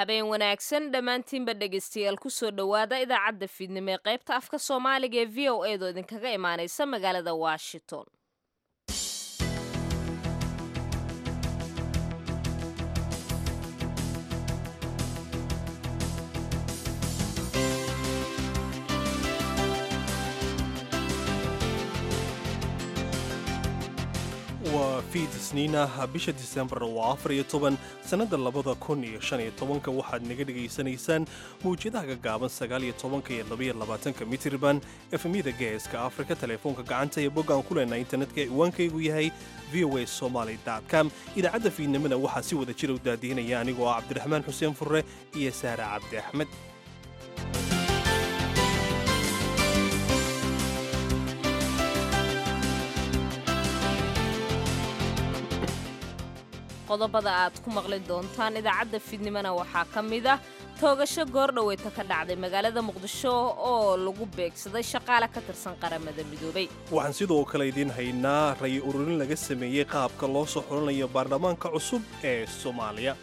Habeen wanaagsan dhammaantiinba, dhegaystayaal. Kusoo dhowaada idaacadda fiidnimo ee qaybta afka Soomaaliga ee VOA doo idinkaga imaanaysa magaalada Washington. Waa fiid Isniinah, bisha Disembar waa 14, sannadda 2015. Waxaad naga dhegaysanaysaan mawjadaha gaggaaban 19 iyo 22 mitirban, FM-yada Geeska Afrika, telefoonka gacanta iyo boggaan ku leenahay internetka. Ciwaankaygu yahay voasomaly.com. Idaacadda fiidnimada waxaa si wada jira u daadihinaya anigoo ah Cabdiraxmaan Xuseen Furre iyo Saara Cabdi Axmed. Qodobada aad ku maqli doontaan idaacadda fiidnimona waxaa ka mid ah toogasho goordhoweyta ka dhacday magaalada Muqdisho oo lagu beegsaday shaqaale ka tirsan Qaramada Midoobay. Waxaan sidoo kale idiin haynaa ray ururin laga sameeyey qaabka loo soo xulanayo baarlamaanka cusub ee Soomaaliya.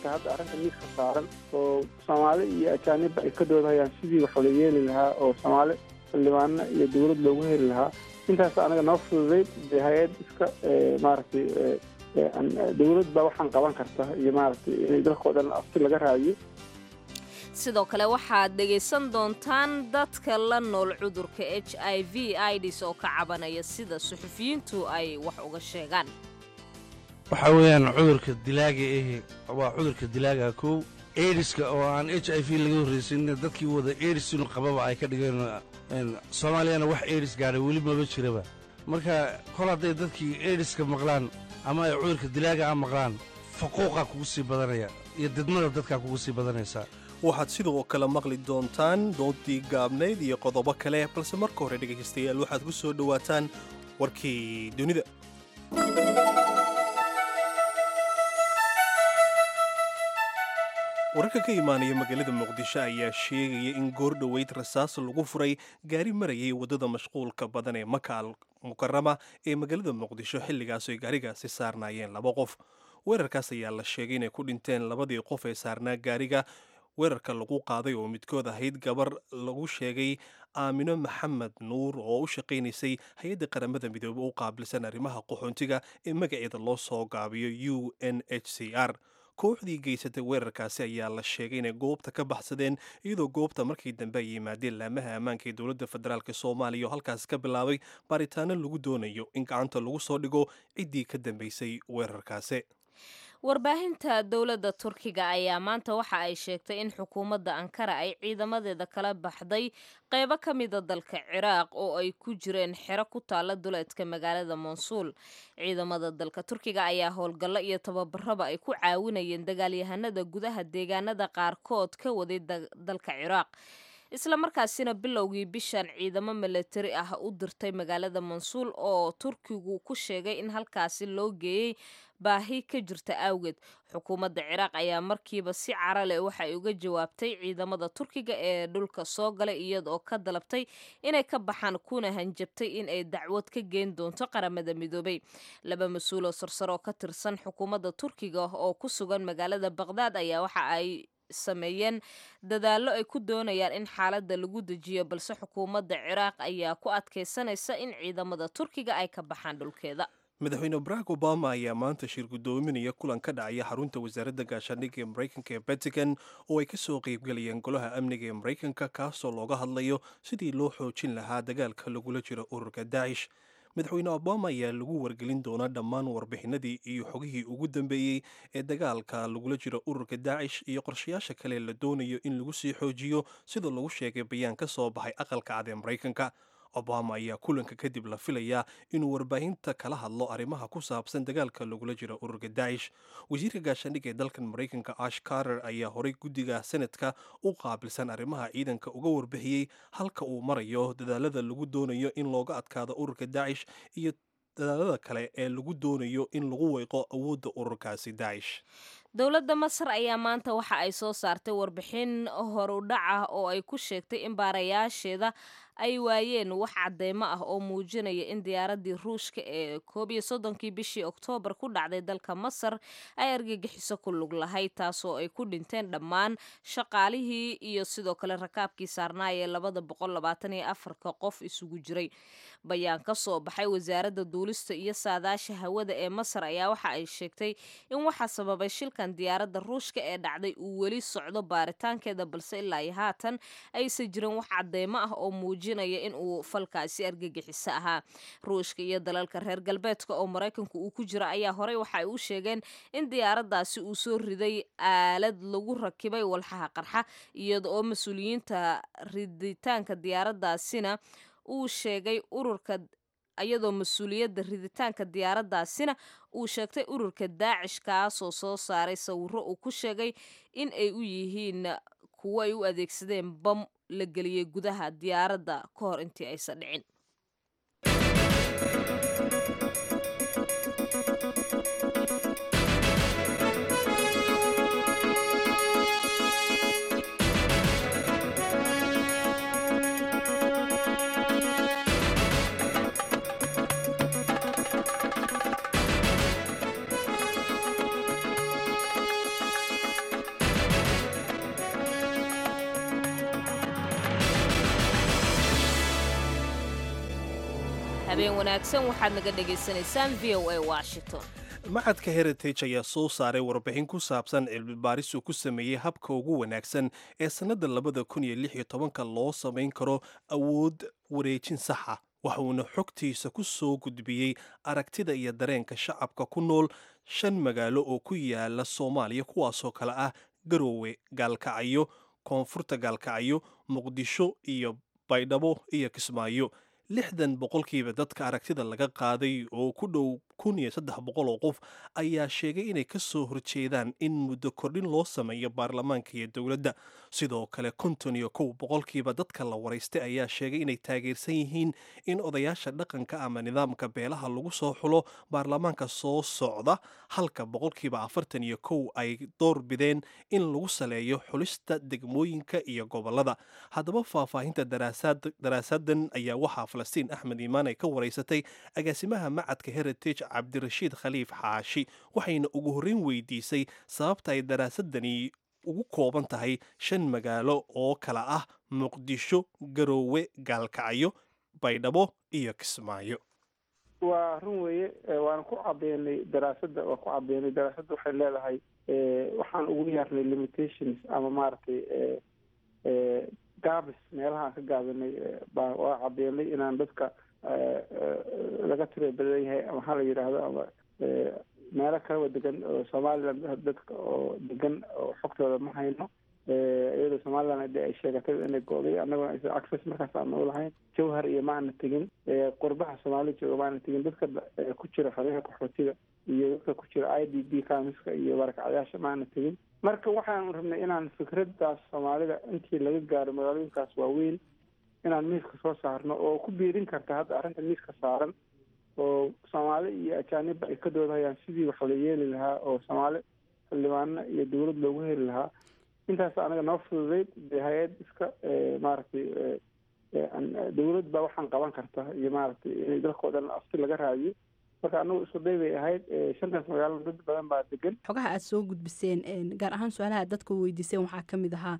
Hadda arrinta miiska saaran oo Soomaali iyo ajaanibba ay ka doodahayaan sidii wax la yeeli lahaa oo Soomaali xildhibaano iyo dowlad loogu heli lahaa, intaas anaga noo fududayd. Dee hay-ad iska maaragtay dowlad baa waxaan qaban karta iyo maaragtay inay dalkao dhan afti laga raadiyo. Sidoo kale waxaad dhegaysan doontaan dadka la nool cudurka HIV IDs oo ka cabanaya sida suxufiyiintu ay wax uga sheegaan. Waxaa weeyaan cudurka dilaaga ahi waa cudurka dilaaga kow, AIDS-ka oo aan HIV laga horraysin, dadkii wada AIDS inu qababa ay ka dhigeen. Soomaaliyana wax AIDS gaadhay weli maba jiraba. Marka kol hadday dadkii AIDS-ka maqlaan ama ay cudurka dilaaga a maqlaan, faquuqaa kugu sii badanaya iyo didmada dadkaa kugu sii badanaysaa. Waxaad sidoo kale maqli doontaan doodii gaabnayd iyo qodobo kale, balse marka hore, dhegaystayaal, waxaad ku soo dhowaataan warkii dunida. Wararka ka imaanaya magaalada Muqdisho ayaa sheegaya in goor dhoweyd rasaas lagu furay gaari marayay waddada mashquulka badan ee Maka Al Mukarama ee magaalada Muqdisho, xilligaas ay gaarigaasi saarnaayeen laba qof. Weerarkaas ayaa la sheegay inay ku dhinteen labadii qof ee saarnaa gaariga weerarka lagu qaaday, oo midkood ahayd gabar lagu sheegay Aamino Maxamed Nuur oo u shaqaynaysay hay-adda Qaramada Midoobey u qaabilsan arrimaha qaxoontiga ee magaceeda loo soo gaabiyo UNHCR. Kooxdii geysatay weerarkaasi ayaa la sheegay inay goobta ka baxsadeen, iyadoo goobta markii dambe ay yimaadeen laamaha ammaanka ee dowladda federaalk Soomaaliya oo halkaas ka bilaabay baaritaano lagu doonayo in gacanta lagu soo dhigo ciddii ka dambeysay weerarkaasi. Warbaahinta dowladda Turkiga ayaa maanta waxa ay sheegtay in xukuumadda Ankara ay ciidamadeeda kala baxday qeybo ka mida dalka Ciraaq oo ay ku jireen xero ku taala duleedka magaalada Monsuul. Ciidamada dalka Turkiga ayaa howlgallo iyo tababaraba ay ku caawinayeen dagaalyahanada gudaha deegaanada qaarkood ka waday dalka Ciraaq, isla markaasina bilowgii bishan ciidamo milatari ah u dirtay magaalada Mansuul, oo Turkigu ku sheegay in halkaasi loo geeyey baahi ka jirta awgeed. Xukuumadda Ciraaq ayaa markiiba si cara leh waxa ay uga jawaabtay ciidamada Turkiga ee dhulka soo galay, iyadoo ka dalabtay inay ka baxaan kuna hanjabtay in ay dacwad ka geen doonto Qaramada Midoobay. Laba mas-uul oo sarsare oo ka tirsan xukuumadda Turkiga oo ku sugan magaalada Baqhdaad ayaa waxa ay sameeyeen dadaallo ay ku doonayaan in xaaladda lagu dejiyo, balse xukuumadda Ciraaq ayaa ku adkaysanaysa in ciidamada Turkiga ay ka baxaan dhulkeeda. Madaxweyne Barack Obama ayaa maanta shir guddoominaya kulan ka dhacaya xarunta wasaaradda gaashaandhigga ee Maraykanka ee Pentagon oo ay ka soo qaybgalayeen golaha amniga ee Maraykanka, kaasoo looga hadlayo sidii loo xoojin lahaa dagaalka lagula jiro ururka Daacish. Madaxweyne Obama ayaa lagu wargelin doonaa dhammaan warbixinadii iyo xogihii ugu dambeeyey ee dagaalka lagula jiro ururka Daacish iyo qorshayaasha kale la doonayo in lagu sii xoojiyo, sida lagu sheegay bayaan ka soo baxay Aqalka Cad ee Maraykanka. Obama ayaa kulanka kadib la filayaa inuu warbaahinta kala hadlo arrimaha ku saabsan dagaalka lagula jiro ururka Daacish. Wasiirka gaashaandhigga ee dalkan Maraykanka Ash Carter ayaa horay guddiga Senatka u qaabilsan arrimaha ciidanka uga warbixiyey halka uu marayo dadaalada lagu doonayo in looga adkaado ururka Daacish iyo dadaalada kale ee lagu doonayo in lagu weyqo awoodda ururkaasi Daacish. Dowladda Masar ayaa maanta waxa ay soo saartay warbixin horudhac ah oo ay ku sheegtay in baarayaasheeda ay waayeen wax cadeymo ah oo muujinaya in diyaaraddii Ruushka ee 31-kii bishii Oktoobar ku dhacday dalka Masar ay argagixiso ku lug lahayd, taasoo ay ku dhinteen dhammaan shaqaalihii iyo sidoo kale rakaabkii saarnaayee 224-ka qof isugu jiray. Bayaan ka soo baxay wasaaradda duulista iyo saadaasha hawada ee Masar ayaa waxa ay sheegtay in waxaa sababay shilkan diyaaradda Ruushka ee dhacday uu weli socdo baaritaankeeda, balse ilaa iyo haatan aysan jirin wax cadeymo ah oo muujinaya in uu falkaasi argagixiso ahaa. Ruushka iyo dalalka reer galbeedka oo Maraykanku uu ku jiro ayaa horey waxa ay u sheegeen in diyaaraddaasi uu soo riday aalad lagu rakibay walxaha qarxa, iyada oo mas-uuliyiinta riditaanka diyaaraddaasina uu sheegay ururka, iyadoo mas-uuliyadda riditaanka diyaaraddaasina uu sheegtay ururka Daacish, kaasoo soo saaray sawiro uu ku sheegay in ay u yihiin kuwo ay u adeegsadeen bam la geliyey gudaha diyaaradda ka hor intii aysan dhicin. Habeen wanaagsan, waxaad naga dhagaysanaysaan VOA Washington. Macadka Heritage ayaa soo saaray warbixin ku saabsan cilmi baaris uu ku sameeyey habka ugu wanaagsan ee sannadda 2016-ka loo samayn karo awood wareejin saxa, waxuuna xogtiisa ku soo gudbiyey aragtida iyo dareenka shacabka ku nool shan magaalo oo ku yaala Soomaaliya, kuwaasoo kale ah Garoowe, Gaalkacyo, Koonfurta Gaalkacyo, Muqdisho iyo Baydhabo iyo Kismaayo. 60% dadka aragtida laga qaaday oo ku dhow 1300 oo qof ayaa sheegay inay ka soo horjeedaan in muddo kordhin loo sameeyo baarlamaanka iyo dowladda. Sidoo kale 51% dadka la waraystay ayaa sheegay inay taageersan yihiin in odayaasha dhaqanka ama nidaamka beelaha lagu soo xulo baarlamaanka soo socda, halka 41% ay door bideen in lagu saleeyo xulista degmooyinka iyo gobolada. Haddaba faahfaahinta daraasadan ayaa waxaa Falastiin Axmed Iimaan ay ka waraysatay agaasimaha macadka Heritage, Cabdirashiid Khaliif Xaashi, waxayna ugu horreyn weydiisay sababta ay daraasadani ugu kooban tahay shan magaalo oo kala ah Muqdisho, Garoowe, Gaalkacyo, Baydhabo iyo Kismaayo. Waa run weeye, waana ku cadeynay daraasadda, waa ku cadeynay daraasadda. Waxay leedahay waxaan ugu yeernay limitations ama maaragtay gaabis, meelaha aan ka gaabinay baa waa cadeynay inaan dadka laga tira badan yahay ama hala yidhaahdo ama meelo kalaba degan oo Somaliland, dadka oo degan oo xogtooda ma hayno, iyadoo Somaliland de ay sheegatay inay go'day, annaguna aysan access markaas aan u lahayn. Jawhar iyo ma aana tegin, qurbaha Soomaali jooga ma aana tegin, dadka ku jira xeryaha qaxootiga iyo dadka ku jira IDP camps-ka iyo barakacyaasha ma aana tegin. Marka waxaan rabnay inaan fikraddaas Soomaalida intii laga gaaro magaalooyinkaas waaweyn inaan miiska soo saarno oo ku biirin karta hadda arrinta miiska saaran oo Soomaali iyo ajaanibba ay ka doodahayaan sidii wax la yeeli lahaa oo Soomaali xildhibaano iyo dowlad loogu heli lahaa. Intaas anaga noo fududeyd dee hay-ad iska maaragtay dowlad baa waxaan qaban karta iyo maaragtay inay dalkao dhan afti laga raadiyo. Marka anagu isku day bay ahayd. Shantaas magaalo dad badan baa degan. Xogaha aad soo gudbiseen, gaar ahaan su-aalaha aad dadka weydiiseen, waxaa ka mid ahaa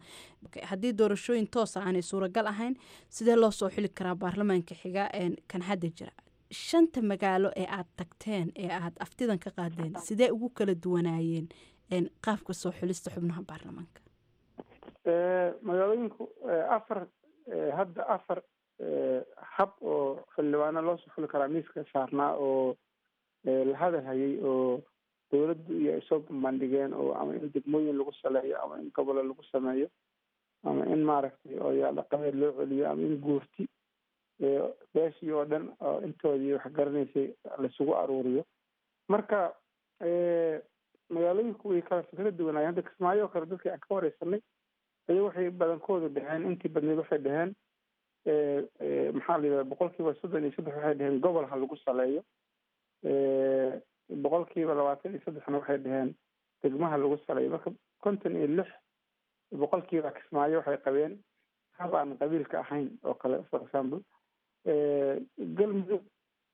haddii doorashooyin toosa aanay suuragal ahayn, sidee loo soo xili karaa baarlamaanka xiga kan hadda jira? Shanta magaalo ee aad tagteen ee aad aftidan ka qaadeen, sidee ugu kala duwanaayeen qaabka soo xulista xubnaha baarlamaanka? Magaalooyinku afar, hadda afar hab oo xildhibaano loo soo xuli karaa miiska saarnaa oo la hadal hayay oo dowladdu iyo ay soo bandhigeen, oo ama in degmooyin lagu saleeyo ama in gobolo lagu sameeyo ama in maaragtay odayaal dhaqameed loo celiyo ama in guurti beeshii oo dhan oo intoodii wax garanaysay laisugu aruuriyo. Marka magaalooyinku way kala fikrad duwanaayeen. Hadda Kismaayo oo kale dadkii aan ka wareysanay ayaga waxay badankoodu dhaheen, intii badneed waxay dhaheen, maxaa la yidhahda, 33% waxay dhaheen gobol ha lagu saleeyo, 23%-na waxay dhaheen degmaha lagu saleeyo. Marka 56% Kismaayo waxay qabeen hab aan qabiilka ahayn oo kale. For example, Galmudug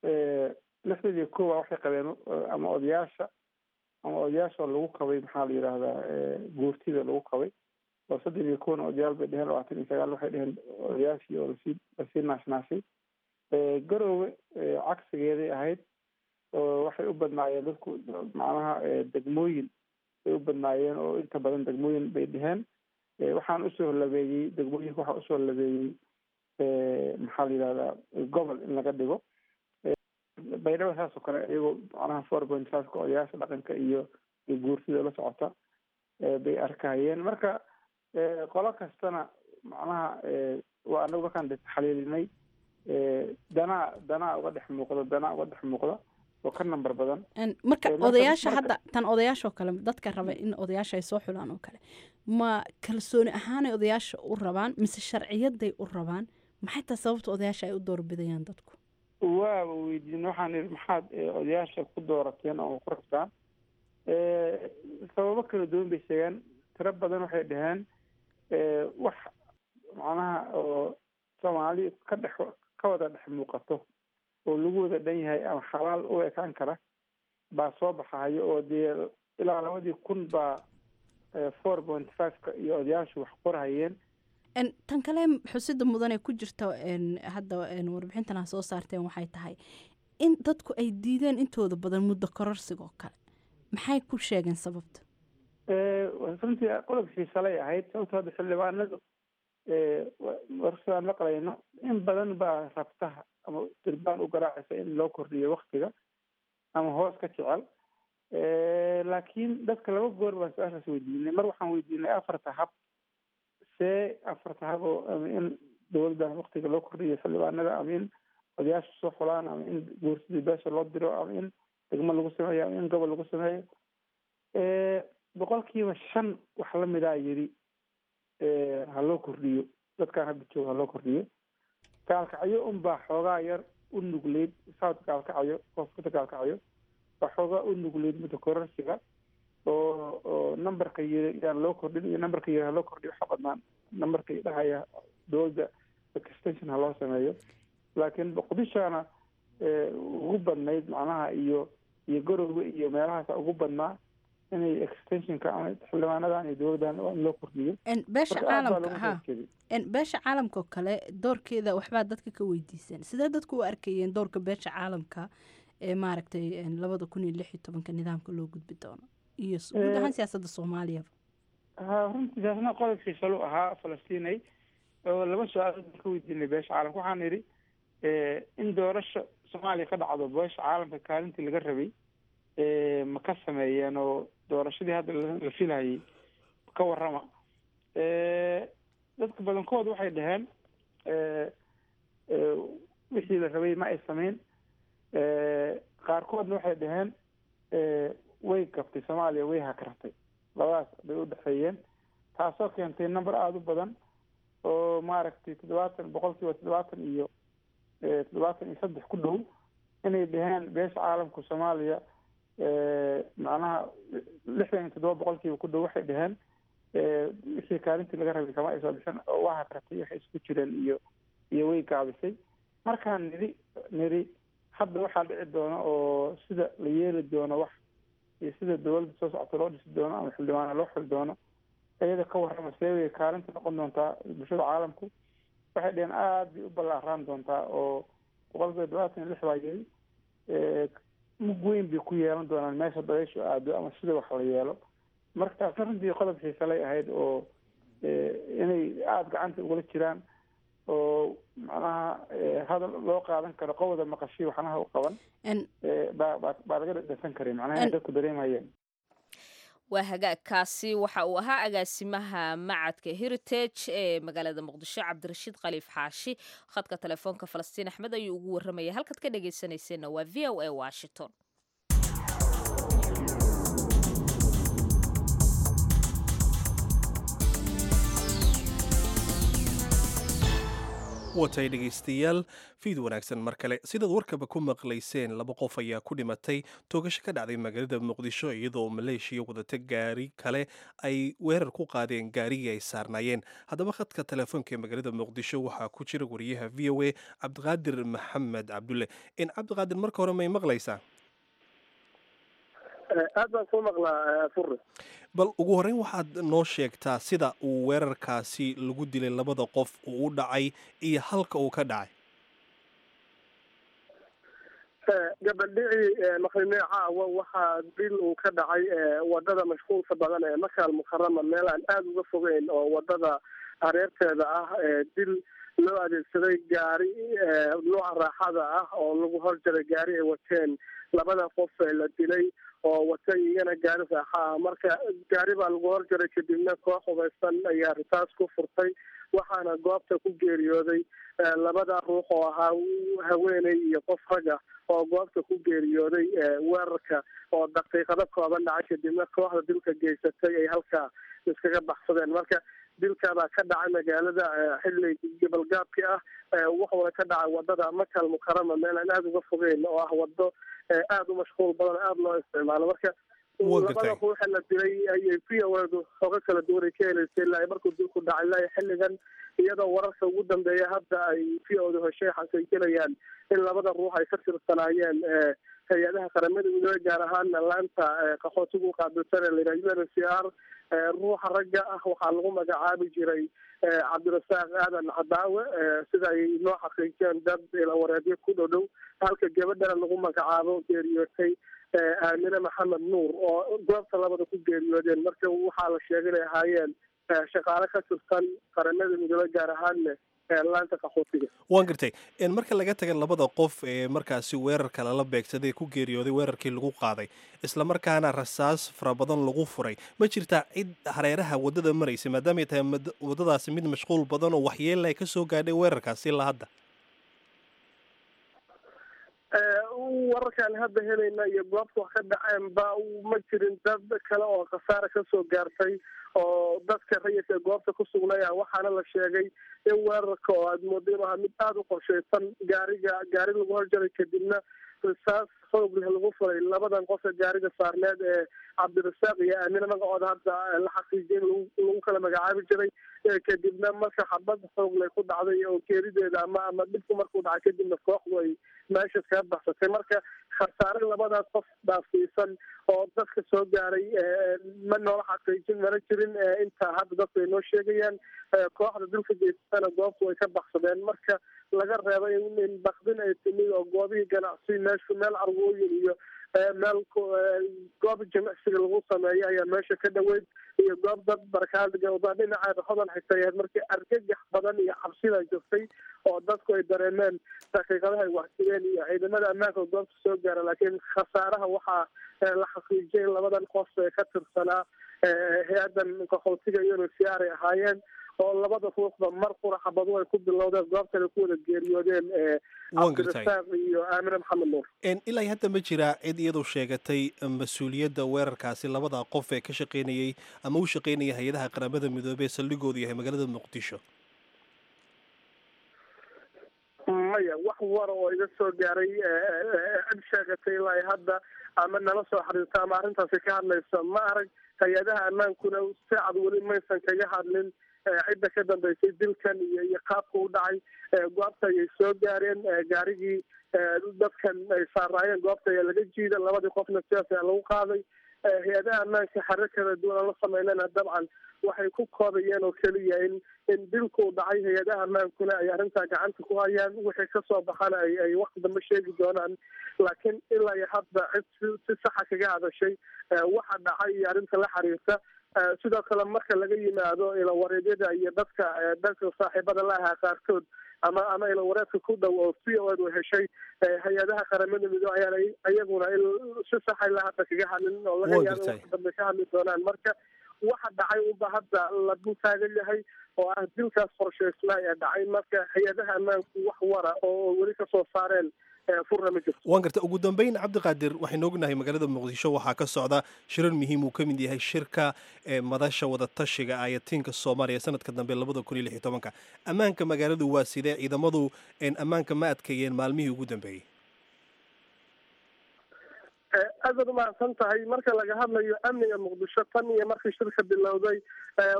61 waxay qabeen ama odayaasha ama odayaasha lagu qabay, maxaa la yidhaahdaa, guurtida lagu qabay, oo 31na odayaal bay dheheen, 29 waxay dheheen odayaashii oo lasii naashnaashay. Garoowe cagsigeeday ahayd, oo waxay u badnaayeen dadku macnaha degmooyin bay u badnaayeen, oo inta badan degmooyin bay dheheen. Waxaan usoo labeeyey degmooyinka, waxaa usoo labeeyey, maxaa la yidhahdaa, gobol in laga dhigo. Baydhabo saas oo kale, iyagoo macnaha 4.5-ka odayaasha dhaqanka iyo guurtida la socota bay arkahayeen. Marka qolo kastana macnaha waa anagu markaan taxliilinay danaa uga dhex muuqda, danaa uga dhex muuqda oo ka nambar badan. Marka odayaasha hadda tan odayaasha oo kale, dadka raba in odayaasha ay soo xulaan oo kale, ma kalsooni ahaanay odayaasha u rabaan mise sharciyaday u rabaan? Maxay tahay sababta odayaasha ay u doorbidayaan dadku? Waaba weydiin, waxaan ihi maxaad odayaasha ku doorateen oo ku rabtaan? Sababo kala duwan bay sheegeen. Tiro badan waxay dhaheen wax macnaha oo Soomaali ka dhex ka wada dhex muuqato oo lagu wada dhan yahay ama xalaal u ekaan kara baa soo baxayo, oo dee ilaa 2000 baa 4.5-ka iyo odayaashu wax qorhayeen. Tan kale xusida mudan ee ku jirta hadda warbixintan ha soo saarteen waxay tahay in dadku ay diideen intooda badan muddo kororsigoo kale. Maxay ku sheegeen sababta? Runtii qodob xiisalay ahayd, sababto hadda xildhibaanadu warsidaan maqlayno in badan baa rabtaha ama dirbaan u garaacaysa in loo kordhiyo waktiga ama hoos ka jecel. Laakiin dadka laba goor baan su-aashaas weydiinay. Mar waxaan weydiinay afarta hab, see afarta hab oo ama in dowladdan waktiga loo kordhiyo xildhibaanada, ama in odayaasha soo xulaan, ama in guursidii beesha loo diro, ama in degmo lagu sameeyo, ama in gobol lagu sameeyo. 5% wax lamidaa yidhi ha loo kordhiyo dadkaan hadda jooga, ha loo kordhiyo. Gaalkacyo unbaa xoogaa yar u nugleyd, south Gaalkacyo, koonfurta Gaalkacyo baa xoogaa u nugleyd muddo kororsiga, oo numberka yiri yaan loo kordhin iyo numberka yiri ha loo kordhiyo. Waxa badnaan numberka dhahaya dowladda extension ha loo sameeyo. Laakiin Muqdishona ugu badnayd macnaha iyo Garowga iyo meelahaasa ugu badnaa inay extensionka ama xildhibaanadan iyo dowladdan in loo kordhiyo. Beesha caalamka ha, beesha caalamka oo kale doorkeeda waxbaa dadka ka weydiiseen. Sidee dadku u arkayeen doorka beesha caalamka ee maaragtay 2016-ka nidaamka loo gudbi doono iyo guud ahaan siyaasadda Soomaaliyaba? Ha, runtii taasna qodob xiisalu ahaa Falastiinay, oo laba su-aalood baan ka weydiinay beesha caalamka. Waxaan idhi in doorasho Soomaaliya ka dhacdo beesha caalamka kaalintii laga rabay ma ka sameeyeen, oo doorashadii hadda la filayay ka warrama? Dadka badankood waxay dhaheen wixii la rabay ma ay sameyn. Qaarkoodna waxay dhaheen way gabtay Soomaaliya, way hakartay. Labadaas bay u dhexeeyeen, taasoo keentay number aada u badan oo maaragtay 70%, 70 iyo 73 ku dhow inay dhaheen beesha caalamka Soomaaliya, macnaha 67% ku dhow waxay dhaheen wixii kaalintii laga rabay kama ay soo bixin, oo waa hakartay, waxay isku jireen iyo way gaabisay. Markaan nidhi hadda waxaa dhici doona oo sida la yeeli doono wax iyo sida dowladda soo socota loo dhisi doono ama xildhibaana loo xuli doono iyada ka warrama, see way kaalinta noqon doontaa bulshada caalamku? Waxay dheheen aada bay u ballaaraan doontaa, oo 76% baa yiri mug weyn bay ku yeelan doonaan meesha dabayshu aado ama sida wax la yeelo. Marka taasna runtii qodob xiisalay ahayd, oo inay aada gacanta ugula jiraan oo macnaha hadal loo qaadan karo qowda maqashay waxnaha u qaban baa laga dhadhasan karay, macnaha inay dadku dareemayeen. Waa hagaagkaasi. Waxa uu ahaa agaasimaha macadka Heritage ee magaalada Muqdisho, Cabdirashiid Khaliif Xaashi. Khadka telefoonka Falastiin Axmed ayuu ugu warramaya. Halkaad ka dhagaysanayseena waa VOA Washington. Watay dhegaystayaal, fiid wanaagsan mar kale. Sidaad warkaba ku maqlayseen, laba qof ayaa ku dhimatay toogasho ka dhacday magaalada Muqdisho, iyadoo Maleeshiya wadata gaari kale ay weerar ku qaadeen gaarigii ay saarnaayeen. Haddaba khadka telefoonka ee magaalada Muqdisho waxaa ku jira wariyaha VOA Cabdiqaadir Maxamed Cabdulle. In Cabdiqaadir, marka hore may maqlaysaa? Aad baan kuu maqlaa, Fure. Bal ugu horreyn waxaad noo sheegtaa sida uu weerarkaasi lagu dilay labada qof uu u dhacay iyo halka uu ka dhacay. Gabaldhicii maqrinee caawa waxaa dil uu ka dhacay wadada mashquulka badan ee Maka Almukarama, meel aan aada uga fogeyn oo wadada hareerteeda ah. Dil loo adeegsaday gaari nooca raaxada ah oo lagu horjaray gaari ay wateen labada qof ee la dilay oo watay iyana gaari raaxa ah. Marka gaari baa lagu horjaray, kadibna koox hubaysan ayaa risaas ku furtay, waxaana goobta ku geeriyooday labada ruux oo ahaa haweeney iyo qof rag ah oo goobta ku geeriyooday weerarka oo daqiiqado kooban dhacay, kadibna kooxda dilka geysatay ay halkaa iskaga baxsadeen. Marka dilkaabaa ka dhacay magaalada xilli gobolgaabki ah, wuxuuna ka dhacay wadada Maka Almukarama, meel aan aada uga fogeyn oo ah wado aada u mashquul badan, aada loo isticmaalo. Marka labada ruuxa la dilay ayay VOA-du xogo kala duwan ay ka heleysay ilaa markuu dilku dhacay ilaa xilligan, iyadoo wararka ugu dambeeya hadda ay VOA-du heshay xaqiijinayaan in labada ruux ay ka tirsanaayeen hay-adaha Qaramada Midoobey, gaar ahaana laanta qaxootigu qaabilsan ee layidhaha UNHCR. Ruuxa ragga ah waxaa lagu magacaabi jiray Cabdirasaaq Aadan Cadaawe, sida ay noo xaqiijiyeen dad ilawareedyo ku dhow dhow, halka gabadhana lagu magacaabo geeriyootay Aamine Maxamed Nuur, oo goobta labada ku geeriyoodeen. Marka waxaa la sheegay inay ahaayeen shaqaale ka tirsan Qaramada Midoobey, gaar ahaanne laanta qaxootiga. Waan gartay. Marka laga taga labada qof ee markaasi weerarka lala beegsaday ku geeriyooday weerarkii lagu qaaday, islamarkaana rasaas fara badan lagu furay, ma jirtaa cid hareeraha waddada maraysa, maadaamay tahay waddadaasi mid mashquul badan oo waxyeella ay ka soo gaadhay weerarkaasi ilaa hadda? Wararkaan hadda helayna iyo goobta wax ka dhaceenba ma jirin dad kale oo khasaara kasoo gaartay oo dadka rayidka goobta ku sugnaya. Waxaana la sheegay in weerarka oo aad moodo inuu ahaa mid aada u qorshaysan, gaariga gaari lagu horjaray, kadibna risaas xoog leh lagu furay labadan qof ee gaariga saarneed ee Cabdirasaaq iyo Aamine, magacooda hadda la xaqiijiyay in lagu kala magacaabi jiray. Kadibna marka xabad xoog leh ku dhacday oo geerideeda ama dhibku markuu dhacay kadibna kooxdu ay meesha kaga baxsatay. Marka khasaare labadaas qof dhaafsiisan oo dadka soo gaaray ma noola xaqiijin, mana jirin inta hadda dadku ay noo sheegayaan. Kooxda dilka geysatana goobtu way ka baxsadeen, marka laga reebo in bakdin ay timid oo goobihii ganacsi, meeshu meel carwooyin iyo meel goob jimicsiga lagu sameeyo ayaa meesha ka dhoweyd, iyo goob dad barkaadga dhinaceeda Hodan xigtay ahayd. Markii argagax badan iyo cabsida joogtay oo dadku ay dareemeen daqiiqadaha ay waxsideen iyo ciidamada ammaanka oo goobta soo gaara, laakiin khasaaraha waxaa la xaqiijiyay labadan qof ee ka tirsanaa hay-adan qaxootiga UNHCR ay ahaayeen, oo labada ruuxba mar qura xabadu ay ku bilowdeen, goobtan ay ku wada geeriyoodeen, Cabdirasaaq iyo Aamine Maxamed Nuur. Ilaa hadda ma jiraa cid iyadu sheegatay mas-uuliyadda weerarkaasi labada qof ee ka shaqaynayay ama u shaqaynaya hay-adaha Qaramada Midoobey ee saldhigoodu yahay magaalada Muqdisho? Maya, wax wara oo iga soo gaaray cid sheegatay ilaa hadda ama nala soo xiriirta ama arrintaasi ka hadlaysa ma arag. Hay-adaha ammaankuna si cad weli maysan kaga hadlin cidda ka dambeysay dilkan iyo qaabka u dhacay. Goobta ayay soo gaareen, gaarigii dadkan ay saaraayeen goobta ayaa laga jiida, labadii qofna sidaas ayaa lagu qaaday. Hay-adaha ammaanka xarir kala duwan aan la sameynana dabcan waxay ku koobayeen oo keliya in dilku dhacay, hay-adaha ammaankuna ay arrintaa gacanta ku hayaan, wixii kasoo baxana ay waqti dambe sheegi doonaan. Laakiin ilaa iyo hadda cid si saxa kaga hadashay waxa dhacay iyo arrinta la xiriirta. Sidoo kale marka laga yimaado ilawareedyada iyo dadka dadka saaxiibada la ahaa qaarkood ama ilawareedka ku dhow oo VOA-du heshay, hay-adaha Qaramada Midoobe ayaana iyaguna si saxa ilaa hadda kaga hadlin oo laga yaabo waqti dambe ka hadli doonaan. Marka waxa dhacay unba hadda la dul taagan yahay oo ah dilkaas qorshaysnaa ee dhacay. Marka hay-adaha ammaanku wax wara oo weli kasoo saareen furna ma jirto. Waan garta. Ugu dambeyn, Cabdiqaadir, waxaynu ognahay magaalada Muqdisho waxaa ka socda shirar muhiim uu ka mid yahay shirka madasha wadatashiga ayatiinka Soomaaliya sanadka dambe 2016-ka. Ammaanka magaaladu waa sidee? Ciidamadu ammaanka ma adkeeyeen maalmihii ugu dambeeyey? Aadaad umahadsan tahay. Marka laga hadlayo amniga Muqdisho, tan iyo markii shirka bilowday,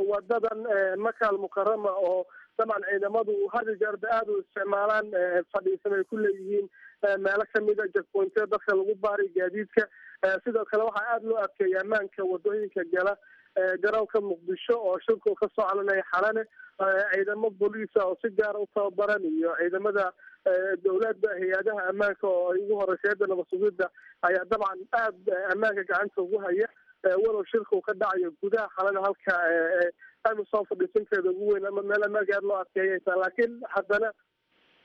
wadadan Maka Almukarama oo dabcan ciidamadu had iyo jeerba aada u isticmaalaan, fadhiisan ay ku leeyihiin meelo kamida jakpointiya dadka lagu baaray gaadiidka. Sidoo kale waxaa aada loo adkeeyay ammaanka wadooyinka gala garoonka Muqdisho oo shirku ka soo calinaya Xalane. Ciidamo booliisa oo si gaara u tababaran iyo ciidamada dowladda, hay-adaha ammaanka oo ay ugu horeysa hayadda nabad sugidda ayaa dabcan aada ammaanka gacanta ugu haya, walow shirka uu ka dhacayo gudaha Xalana, halka AMISOM fadhiisanteeda ugu weyn ama meel ammaanka aada loo adkeeyaysa. Laakiin haddana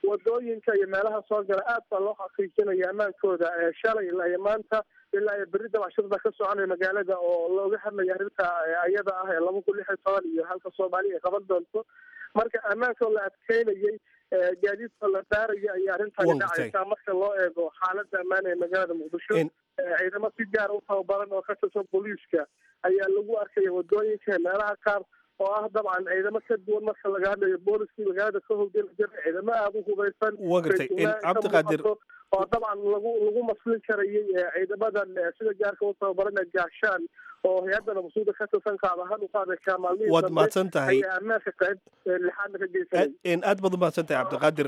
wadooyinka iyo meelaha soo gala aad baa loo xaqiijinaya ammaankooda. Shalay ilaa iyo maanta ilaa iyo berri dabcan shir baa ka soconaya magaalada oo looga hadlaya arrinta ayada ah ee 2016 iyo halka Soomaaliya ay qaban doonto. Marka ammaanka oo la adkeynayay, gaadiidka la baaraya ayaa arrintani dhacaysaa. Marka loo eego xaaladda ammaan ee magaalada Muqdisho, ciidamo si gaara u tababaran oo ka tirsan booliiska ayaa lagu arkaya wadooyinka meelaha qaar, oo ah dabcan ciidamo ka duwan marka laga hadlayo booliskii magaalada ka howlgeli jiray, ciidamo aada u hubaysan. Waa gartay, Cabdiqaadir. Oo dabcan lagu maslin karayay ciidamadan sida gaarka u tababaran ee Gaashaan oo hay-adda nabasuuda ka tirsan qaab ahaan u qaaday maalmihii. Waad mahadsan tahay. Ayaa ammaanka qayb lixaadna ka geysanay. Aad baad umahadsan tahay, Cabdiqaadir.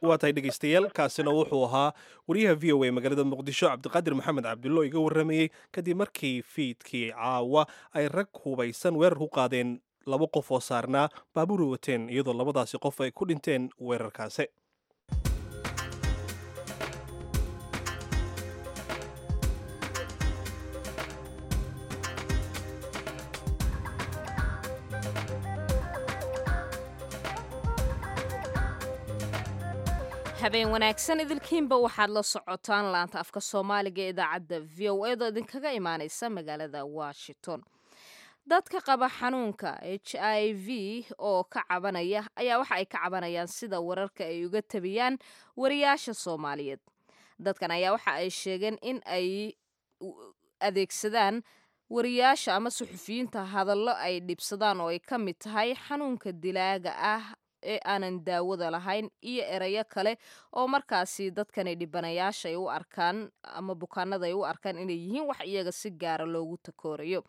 Waa tahay, dhegeystayaal, kaasina wuxuu ahaa wariyaha VOA magaalada Muqdisho, Cabdiqaadir Maxamed Cabdullo, iga warramayey kadib markii fiidkii caawa ay rag hubaysan weerar ku qaadeen laba qof oo saarnaa baabuur wateen, iyadoo labadaasi qof ay ku dhinteen weerarkaasi. Habeen wanaagsan idilkiinba. Waxaad la socotaan laanta afka Soomaaliga ee idaacadda VOA da idinkaga imaaneysa magaalada Washington. Dadka qaba xanuunka HIV oo ka cabanaya ayaa waxa ay ka cabanayaan sida wararka ay uga tabiyaan wariyaasha Soomaaliyeed. Dadkan ayaa waxa ay sheegeen in ay adeegsadaan wariyaasha ama suxufiyiinta hadallo ay dhibsadaan oo ay ka mid tahay xanuunka dilaaga ah ee aanan daawada lahayn iyo erayo kale oo markaasi dadkani dhibanayaasha ay u arkaan ama bukaanada ay u arkaan inay yihiin wax iyaga si gaara loogu takoorayo.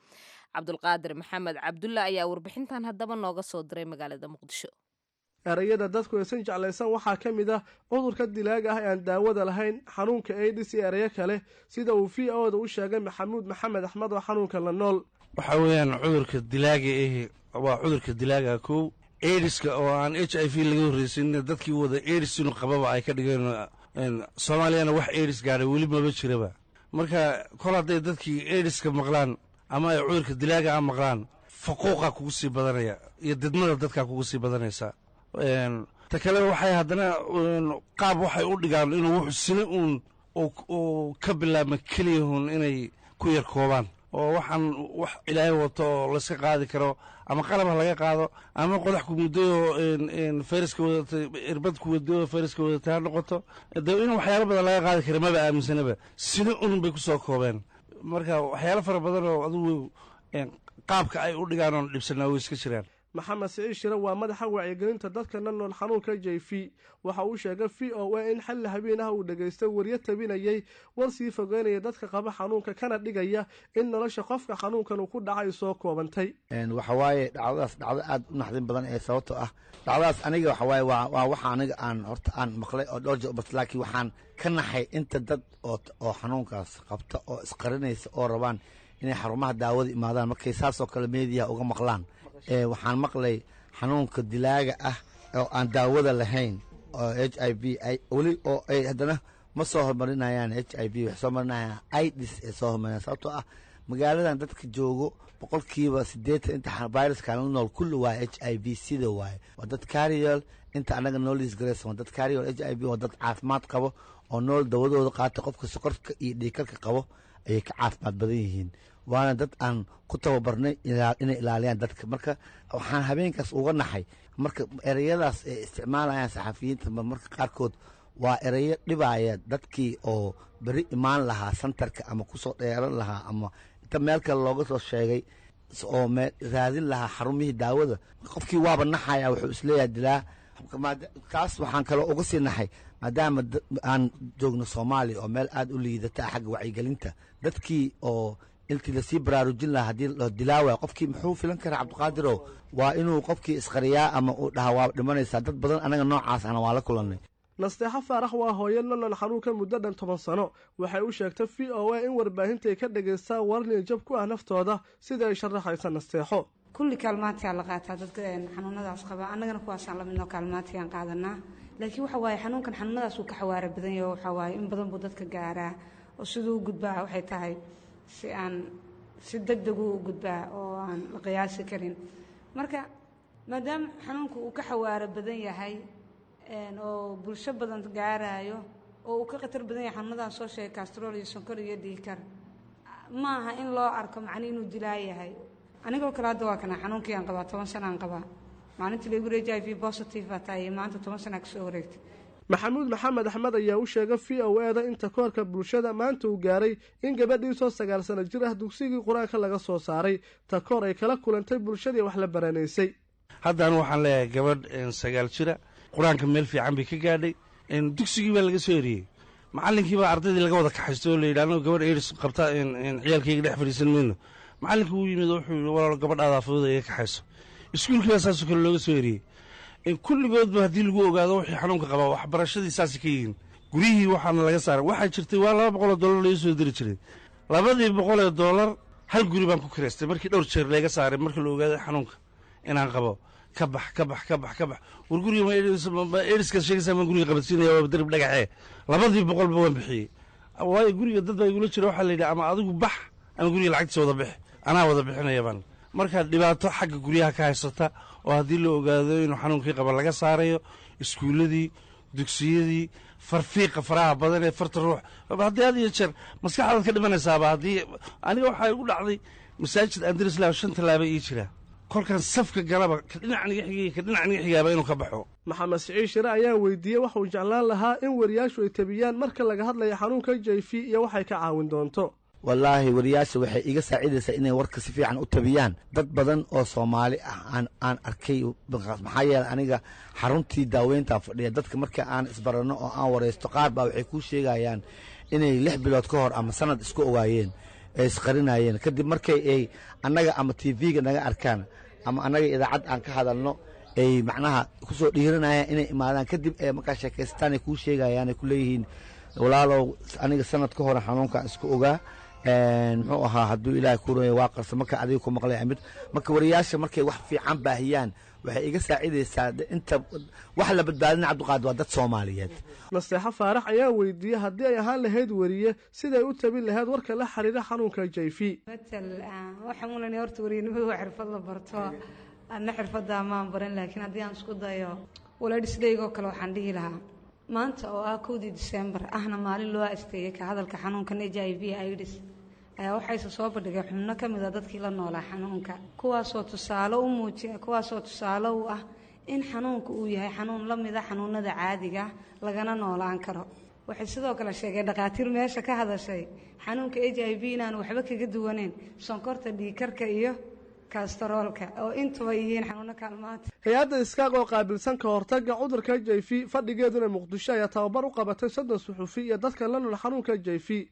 Cabdulqaadir Maxamed Cabdulla ayaa warbixintan haddaba nooga soo diray magaalada Muqdisho. Erayada dadku aysan jeclaysan waxaa ka mid ah cudurka dilaaga ah ee aan daawada lahayn, xanuunka AIDS iyo erayo kale, sida uu VOA da u sheegay Maxamuud Maxamed Axmed oo xanuunka la nool. Waxaa weeyaan cudurka dilaaga ahi waa cudurka dilaaga kow, aidiska oo aan HIV laga horreysin, dadkii wada aids inuu qababa ay ka dhigeen. Soomaaliyana wax aids gaadhay weli maba jiraba. Marka kol hadday dadkii aidiska maqlaan ama ay cudurka dilaaga a maqlaan, faquuqaa kugu sii badanaya iyo didmada dadkaa kugu sii badanaysa. Ta kale, waxay haddana qaab waxay u dhigaan inuu wuxuu sina uun uu ka bilaabma keliyahun inay ku yar koobaan, oo waxaan wax Ilaahay wato oo layska qaadi karo, ama qalab ha laga qaado ama qodax ku muddayoo fayraska wadatay, irbad ku wadayoo fayraska wadatay ha noqoto. De in waxyaalo badan laga qaadi kara maba aaminsanaba, sina unun bay ku soo koobeen. Marka waxyaalo fara badan oo adigu qaabka ay u dhigaan oon dhibsanaa way iska jiraan. Maxamed Siciid Shire waa madaxa wacyigelinta dadka la nool xanuunka HIV. Waxa uu sheegay VOA in xalli habeen ah uu dhegaystay waryo tabinayay war sii fogeynaya dadka qaba xanuunka, kana dhigaya in nolosha qofka xanuunkan uu ku dhacay soo koobantay. Waxa waaye dhacdadaas dhacdo aad u naxdin badan ee sababtoo ah dhacdadaas aniga waxa waaye waa waxa aniga aan horta aan maqlay oo dhowr jeer bas, laakiin waxaan ka naxay inta dad oo xanuunkaas qabta oo isqarinaysa oo rabaan inay xarumaha daawada imaadaan markay saasoo kale meediyaha uga maqlaan. Waxaan maqlay xanuunka dilaaga ah oo aan daawada lahayn oo HIV weli oo ay haddana ma soo hormarinayaan HIV, waxay soo marinayaan AIDS ay soo hormarinayaan, sababtoo ah magaaladan dadka joogo 80% inta viruskan la nool kulli waa HIV sida waaye, waa dad carrier. Inta anaga noo liisgaraysan waa dad carrier HIV, waa dad caafimaad qabo oo nool, dawadooda qaata. Qofka sokorka iyo dhiigkarka qabo ayay ka caafimaad badan yihiin, waana dad aan ku tababarnay inay ilaaliyaan dadka. Marka waxaan habeenkaas uga naxay marka ereyadaas ay isticmaalayaan saxafiyiinta marka qaarkood. Waa ereyo dhibaaya dadkii oo beri imaan lahaa santarka ama kusoo dheeran lahaa ama inta meel kale looga soo sheegay oo raadin lahaa xarumihii daawada. Qofkii waaba naxaya, wuxuu isleeyahay dilaa. Kaas waxaan kaloo uga sii naxay maadaama aan joogno Soomaaliya oo meel aad u liidata xagga wacyigelinta dadkii, oo intii lasii baraarujin lahaa haddii la dilaa waaya, qofkii muxuu filan karaa, Cabdiqaadirow? Waa inuu qofkii isqariyaa ama uu dhahaa waa dhimanaysaa. Dad badan anaga noocaas ana waa la kulannay. Nasteexo Faarax waa hooyo la nool xanuunka muddo dhan 10 sano. Waxay u sheegtay VOA in warbaahinta ay ka dhagaystaan warnin jab ku ah naftooda, sida ay sharaxaysa Nasteexo. Kulli kaalmaantiyaa la qaataa dadka xanuunadaas qaba, annagana kuwaasaan la midnoo kaalmaantiyaan qaadanaa. Laakiin waxa waaye xanuunkan xanuunadaas uu ka xawaara badan yaho. Waxaa waaye in badan buu dadka gaaraa oo siduu u gudbaa waxay tahay si aan si deg deg u gudbaa oo aan la qiyaasi karin. Marka maadaama xanuunku uu ka xawaaro badan yahay oo bulsho badan gaaraayo oo uu ka khatar badan yahay xanuunadan soo sheegay, kastrol iyo sonkor iyo dhiigkar, ma aha in loo arko macni inuu dilaa yahay. Anigoo kale hadda waa kana xanuunkii aan qabaa, 10 sana aan qabaa. Maalintii lagu HIV positive baa tahay iyo maanta 10 sana kasoo wareegtay. Maxamuud Maxamed Axmed ayaa u sheegay VOA-da in takoorka bulshada maanta uu gaaray in gabadhiisoo 9 sano jir ah dugsigii qur-aanka laga soo saaray, takoor ay kala kulantay bulshadii wax la baranaysay. Haddana waxaan leeyahay gabadh 9 jira, qur-aanka meel fiican bay ka gaadhay. Dugsigii baa laga soo eriyey, macallinkii baa ardaydii laga wada kaxaysto oo la yidhi, anagu gabadh AIDS qabta ciyaalkayga dhex fadhiisan mayno. Macallinkii wuu yimid oo wuxuu yidhi, walaalo, gabadhaadaa fududa iga kaxayso. Iskuulkii baa saasoo kale looga soo eriyey. Kulligoodba haddii lagu ogaado wixii xanuunka qabaa, waxbarashadii saasay ka yihiin, guryihii waxaana laga saaray. Waxaa jirtay waa $200 laga soo diri jiray. $200 hal guri baan ku kireystay markii dhowr jeer laga saaray. Markii la ogaaday xanuunka inaan qabo, ka bax, ka bax, ka bax, ka bax, war guriga ma AIDSka sheegaysaa? Maan guriga qabadsiinaya? Waa darib dhagaxee. 200-ba waan bixiyey, waayo guriga dad baa igula jira. Waxaa la yidhi, ama adigu bax ama guriga lacagtiisa wada bix, anaa wada bixinaya baan. Marka dhibaato xagga guryaha ka haysata oo haddii la ogaado inuu xanuunkii qaba laga saarayo iskuulladii, dugsiyadii, farfiiqa faraha badan ee farta ruux haddii had iyo jeer maskaxdaad ka dhimanaysaaba. Haddii aniga waxaa igu dhacday masaajid andrislah shan tallaaba ii jira, kolkan safka galaba ka dhinac naga xigay, ka dhinac naga xigaaba inuu ka baxo. Maxamed Siciid Shire ayaa weydiiyey waxauu jeclaan lahaa in wariyaashu ay tabiyaan marka laga hadlayo xanuunka HIV iyo waxay ka caawin doonto. Wallaahi, wariyaasha waxay iga saacidaysaa inay warka si fiican u tabiyaan. Dad badan oo Soomaali ah aan arkay, maxaa yeelay aniga xaruntii daaweyntaan fadhiya. Dadka marka aan isbaranno oo aan waraysto, qaar baa waxay kuu sheegayaan inay 6 bilood ka hor ama sanad isku ogaayeen ee isqarinayeen. Kadib markay ay annaga ama TV-ga naga arkaan ama annaga idaacad aan ka hadalno, ay macnaha kusoo dhiiranayaan inay imaadaan. Kadib ee markaa sheekaystaan ay kuu sheegayaan, ay ku leeyihiin, walaalow, aniga sanad ka hore xanuunkaan isku ogaa, muxuu ahaa, hadduu Ilaahay ku ronya, waa qarsa marka adiga ku maqlay mid. Marka wariyaasha markay wax fiican baahiyaan, waxay iga saacidaysaa inta wax la badbaadina. Cabdiqaadir, waa dad Soomaaliyeed. Naseexo Faarax ayaa weydiiyey haddii ay ahaan lahayd weriye, siday u tabin lahayd warka la xiriira xanuunka HIV. Matal waxaan ulanay horta weriyanimadu waa xirfad la barto, adna xirfadda maan baran, laakiin haddii aan isku dayo walaadhisdaygoo kale, waxaan dhihi lahaa maanta oo ah 1-dii Disembar, ahna maalin loo asteeyey ka hadalka xanuunkan HIV AIDS, ayaa waxayse soo bandhigay xubno ka mid a dadkii la noolaa xanuunka, kuwaasoo tusaale u muujiya, kuwaasoo tusaale u ah in xanuunka uu yahay xanuun la mida xanuunada caadiga, lagana noolaan karo. Waxay sidoo kale sheegeen dhakhaatiir meesha ka hadashay xanuunka HIV inaanu waxba kaga duwaneyn sonkorta, dhiigkarka iyo kastaroolka, oo intuba yihiin xanuuno kaalmaanta. Hay-adda iskaaq oo qaabilsan ka hortagga cudurka HIV, fadhigeeduna Muqdisho, ayaa tababar u qabatay 30 suxufi iyo dadka la nool xanuunka HIV.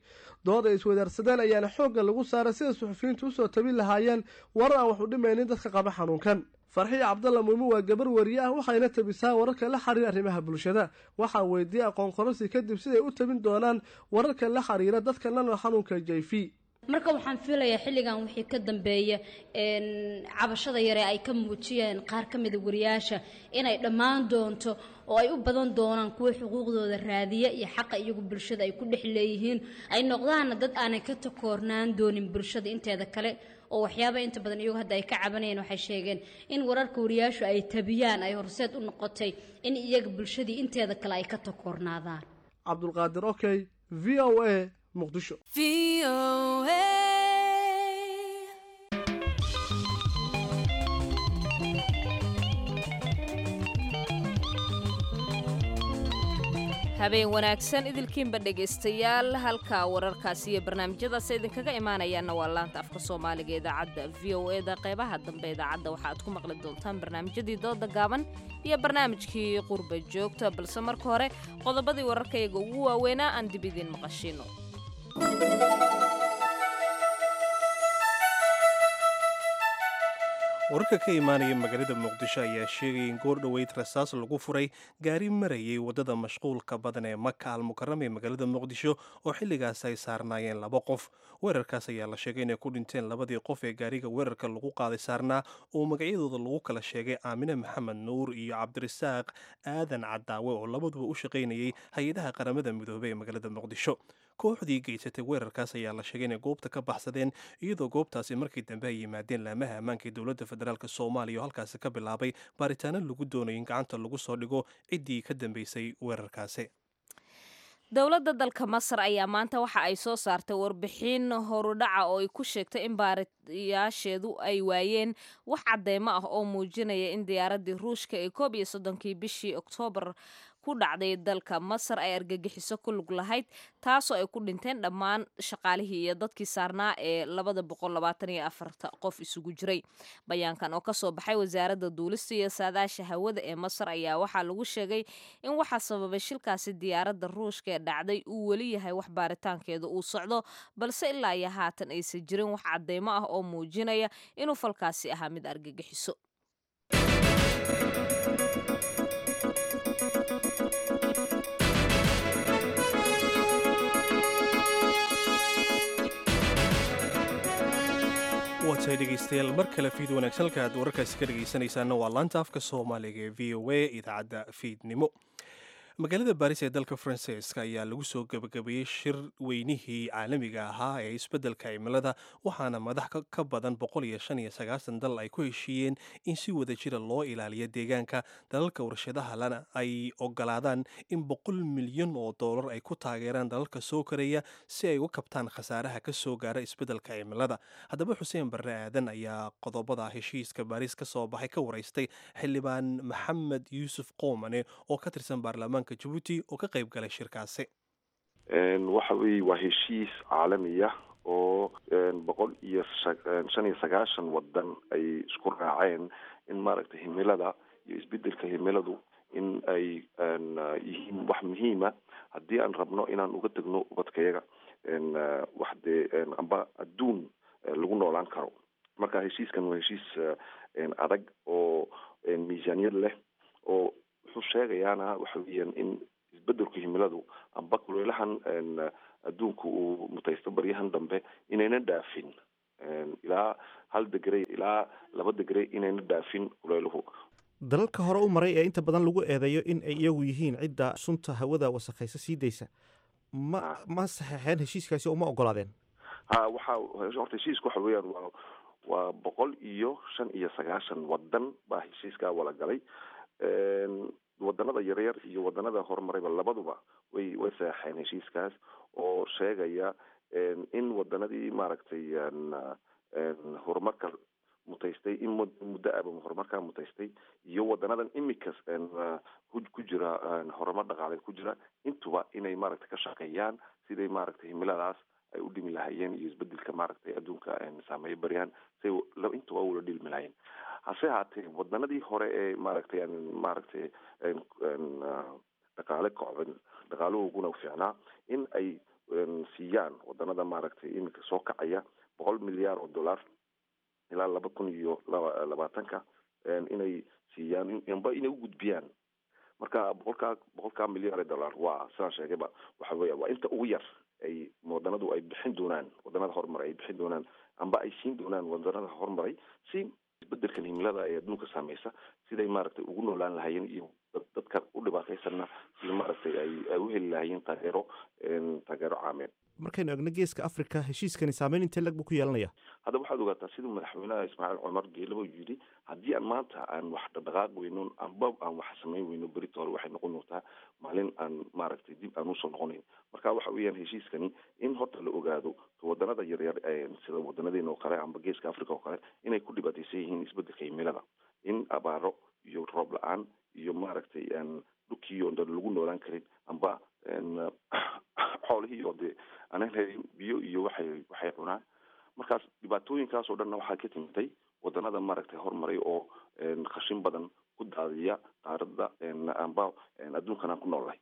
Dood ay iswadaarsadeen ayaana xoogga lagu saaray sida suxufiyiintu usoo tabin lahaayeen warar aan wax u dhimaynin dadka qaba xanuunkan. Farxiya Cabdalla Muumin waa gabar wariye ah, waxayna tabisaa wararka la xiriira arrimaha bulshada. Waxaa weydiiyey aqoon kororsi kadib siday u tabin doonaan wararka la xiriira dadka la nool xanuunka HIV. Marka waxaan filayaa xilligan wixii ka dambeeya cabashada yare ay ka muujiyeen qaar ka mida wariyaasha inay dhammaan doonto oo ay u badan doonaan kuwa xuquuqdooda raadiya iyo xaqa iyagu bulshada ay ku dhex leeyihiin, ay noqdaanna dad aanay ka takoornaan doonin bulshada inteeda kale. Oo waxyaaba inta badan iyagu hadda ay ka cabanayeen, waxay sheegeen in wararka wariyaashu ay tabiyaan ay horseed u noqotay in iyaga bulshadii inteeda kale ay ka takoornaadaan. Cabdulqaadir Okey, VOA, Muqdisho. Habeen wanaagsan idilkiinba dhegaystayaal, halka wararkaasi iyo barnaamijyadaas idinkaga imaanayaanna waa laanta afka Soomaaliga idaacadda VOA da. Qeybaha dambe idaacadda waxaad ku maqli doontaan barnaamijyadii dooda gaaban iyo barnaamijkii qurba joogta, balse marka hore qodobadii wararkayaga ugu waaweynaa aan dib idiin maqashiino. Wararka ka imaanaya magaalada Muqdisho ayaa sheegaya in goor dhoweyd rasaas lagu furay gaari marayay waddada mashquulka badan ee Maka Al Mukarama ee magaalada Muqdisho, oo xilligaas ay saarnaayeen laba qof. Weerarkaas ayaa la sheegay inay ku dhinteen labadii qof ee gaariga weerarka lagu qaaday saarnaa, oo magacyadooda lagu kala sheegay Aamine Maxamed Nuur iyo Cabdirasaaq Aadan Cadaawe, oo labaduba u shaqaynayay hay-adaha Qaramada Midoobey ee magaalada Muqdisho. Kooxdii geysatay weerarkaas ayaa la sheegay inay goobta ka baxsadeen, iyadoo goobtaasi markii dambe ay yimaadeen laamaha ammaanka ee dowladda federaalk Soomaaliya, oo halkaasi ka bilaabay baaritaano lagu doonayo in gacanta lagu soo dhigo ciddii ka dambeysay weerarkaasi. Dowladda dalka Masar ayaa maanta waxa ay soo saartay warbixin horudhaca oo ay ku sheegtay in baariyaasheedu ay waayeen wax cadeymo ah oo muujinaya in diyaaraddii Ruushka ee 31-kii bishii Oktoobar ku dhacday dalka Masar ay argagixiso ku lug lahayd, taasoo ay ku dhinteen dhammaan shaqaalihii iyo dadkii saarnaa ee 224-ta qof isugu jiray. Bayaankan oo kasoo baxay wasaaradda duulista iyo saadaasha hawada ee Masar ayaa waxaa lagu sheegay in waxaa sababay shilkaasi diyaaradda Ruushka ee dhacday uu weli yahay wax baaritaankeeda uu socdo, balse ilaa iyo haatan aysan jirin wax cadeymo ah oo muujinaya inuu falkaasi ahaa mid argagixiso. Waa tahay dhegaystayaal, mar kale fiid wanaagsan. Halka aad wararkaasi ka dhegaysanaysaana waa laanta afka Soomaaliga ee VOA, idaacadda fiidnimo. Magaalada Baris ee dalka Faransiiska ayaa lagu soo gebagabeeyey shir weynihii caalamiga ahaa ee isbeddelka cimilada, waxaana madax ka badan 195 dal ay ku heshiiyeen in si wada jira loo ilaaliyo deegaanka. Dalalka warshadaha lana ay ogolaadaan in 100 milyan oo doolar ay ku taageeraan dalalka soo koraya si ay uga kabtaan khasaaraha ka soo gaara isbeddelka cimilada. Haddaba Xuseen Barre Aadan ayaa qodobada heshiiska Baris ka soo baxay ka waraystay xildhibaan Maxamed Yuusuf Qoomane oo ka tirsan baarlamaanka Jabuuti oo ka qayb galay shirkaasi. Waxa weeye waa heshiis caalamiya oo 195 wadan ay isku raaceen in maaragtay himilada iyo isbedelka himiladu in ay yihiin wax muhiima haddii aan rabno inaan uga tagno ubadkayaga wax dee amba adduun lagu noolaan karo. Marka heshiiskan waa heshiis adag oo miisaaniyad leh, oo wuxuu sheegayaana waxa weeyaan in isbedelka himiladu amba kuleelahan adduunku uu mutaysto baryahan dambe inayna dhaafin ilaa 1 degree ilaa 2 degree, inayna dhaafin kuleeluhu. Dalalka hore u maray ee inta badan lagu eedeeyo in ay iyagu yihiin cidda sunta hawada wasakhaysa sii daysa ma saxeexeen heshiiskaasi oo ma ogolaadeen? Ha, waxa horta heshiiska waxa weeyaan waa 195 wadan baa heshiiskaa wala galay. Wadanada yaryar iyo wadanada horumarayba labaduba way saxeexeen heshiiskaas, oo sheegaya in wadanadii maaragtay horumarka mutaystay in muddo aba horumarkaa mutaystay iyo wadanadan imika ku jira horumar dhaqaale ku jira intuba inay maaragtay ka shaqeeyaan siday maaragtay himiladaas ay u dhimi lahayeen iyo isbedelka maaragtay adduunka saameeyo baryahan say intuba ula dhilmi lahayeen. Hase haatee wadanadii hore ee maaragtay dhaqaale kocban dhaqaaluhuguna fiicnaa in ay siiyaan wadanada maaragtay iminka soo kacaya 100 milyaar oo dollar ilaa 2020-ka inay siiyaan amba inay u gudbiyaan. Marka boqolkaa milyaar ee dollar waa sidaan sheegayba, waxa weya waa inta ugu yar ay wadanadu ay bixin doonaan, wadanada horumaray ay bixin doonaan amba ay siin doonaan wadanada horumaray si isbedelkan himilada ee adduunka saameysa siday maaragtay ugu noolaan lahayeen iyo dadka u dhibaataysanna sida maaragtay ay u heli lahayeen taageero caameed. Markaynu egno geeska Africa, heshiiskani saameyn intee lag buu ku yeelanaya? Hadda waxaad ogaataa siduu madaxweynaha Ismaaciil Cumar Geelaba yidhi, haddii aan maanta aan wax dhaqdhaqaaq weyno amba aan wax samayn weyno, berito hore waxay noqon doontaa maalin aan maaragtay dib aan usoo noqonayn. Marka waxa weeyaan heshiiskani in horta la ogaado wadanada yaryar sida wadanadeena oo kale amba geeska Africa oo kale inay ku dhibaataysan yihiin isbedelka himilada, in abaaro iyo roob la-aan iyo maaragtay dhulka. Dhulkii oo dhan lagu noolaan karin, amba xoolihii oo dee aanan helin biyo iyo waxay cunaan. Markaas dhibaatooyinkaas oo dhanna waxaa ka timtay wadanada maaragtay horumaray oo khashin badan ku daadiya qaaradda amba adduunkan aan ku noolnahay.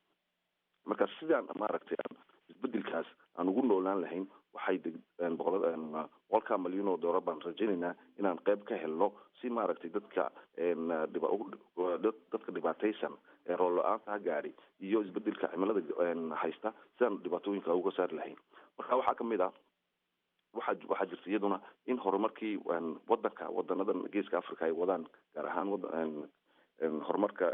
Marka sidaan maaragtay aan isbedelkaas aan ugu noolaan lahayn, waxay 100-ka malyan oo doolar baan rajaynaynaa inaan qayb ka helno, si maaragtay dadka dhibaataysan ee roob la-aanta ha gaadhi iyo isbedelka cimilada haysta, sidaan dhibaatooyinka uga saari lahayn. Marka waxaa kamid ah, waxaa jirta iyaduna in horumarkii wadanka, wadanadan Geeska Africa ay wadaan, gaar ahaan horumarka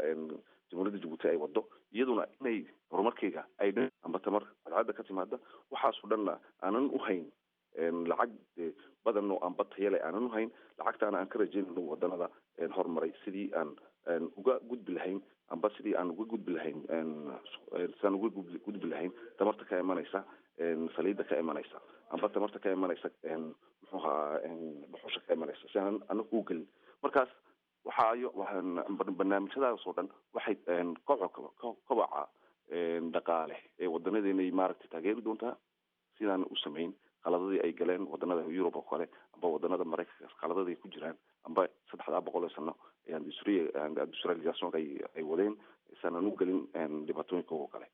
Jamhuuriyadda Jabuuti ay wado, iyaduna inay horumarkeyga ay amba tamar cadcadda ka timaada, waxaasoo dhanna aanan u hayn lacag badan oo amba tayale aanan u hayn. Lacagtaana aan ka rajaynayno wadanada horumaray, sidii aan uga gudbi lahayn amba sidii aan uga gudbi lahayn, sidaan uga gudbi lahayn tamarta ka imanaysa saliidda ka imanaysa, amba tamarta ka imanaysa, muxuu ahaa, dhuxusha ka imanaysa, si aanan anagu u gelin. Markaas waxaayo barnaamijyadaas oo dhan waxay kobaca dhaqaale ee wadanadeena maaragtay taageeri doontaa, sidaan u samayn qaladadii ay galeen wadanada Yurub oo kale amba wadanada Maraykanka, qaladadii ku jiraan amba 300 sano industrialisation ay wadeen, isaanan u gelin dhibaatooyinka oo kale.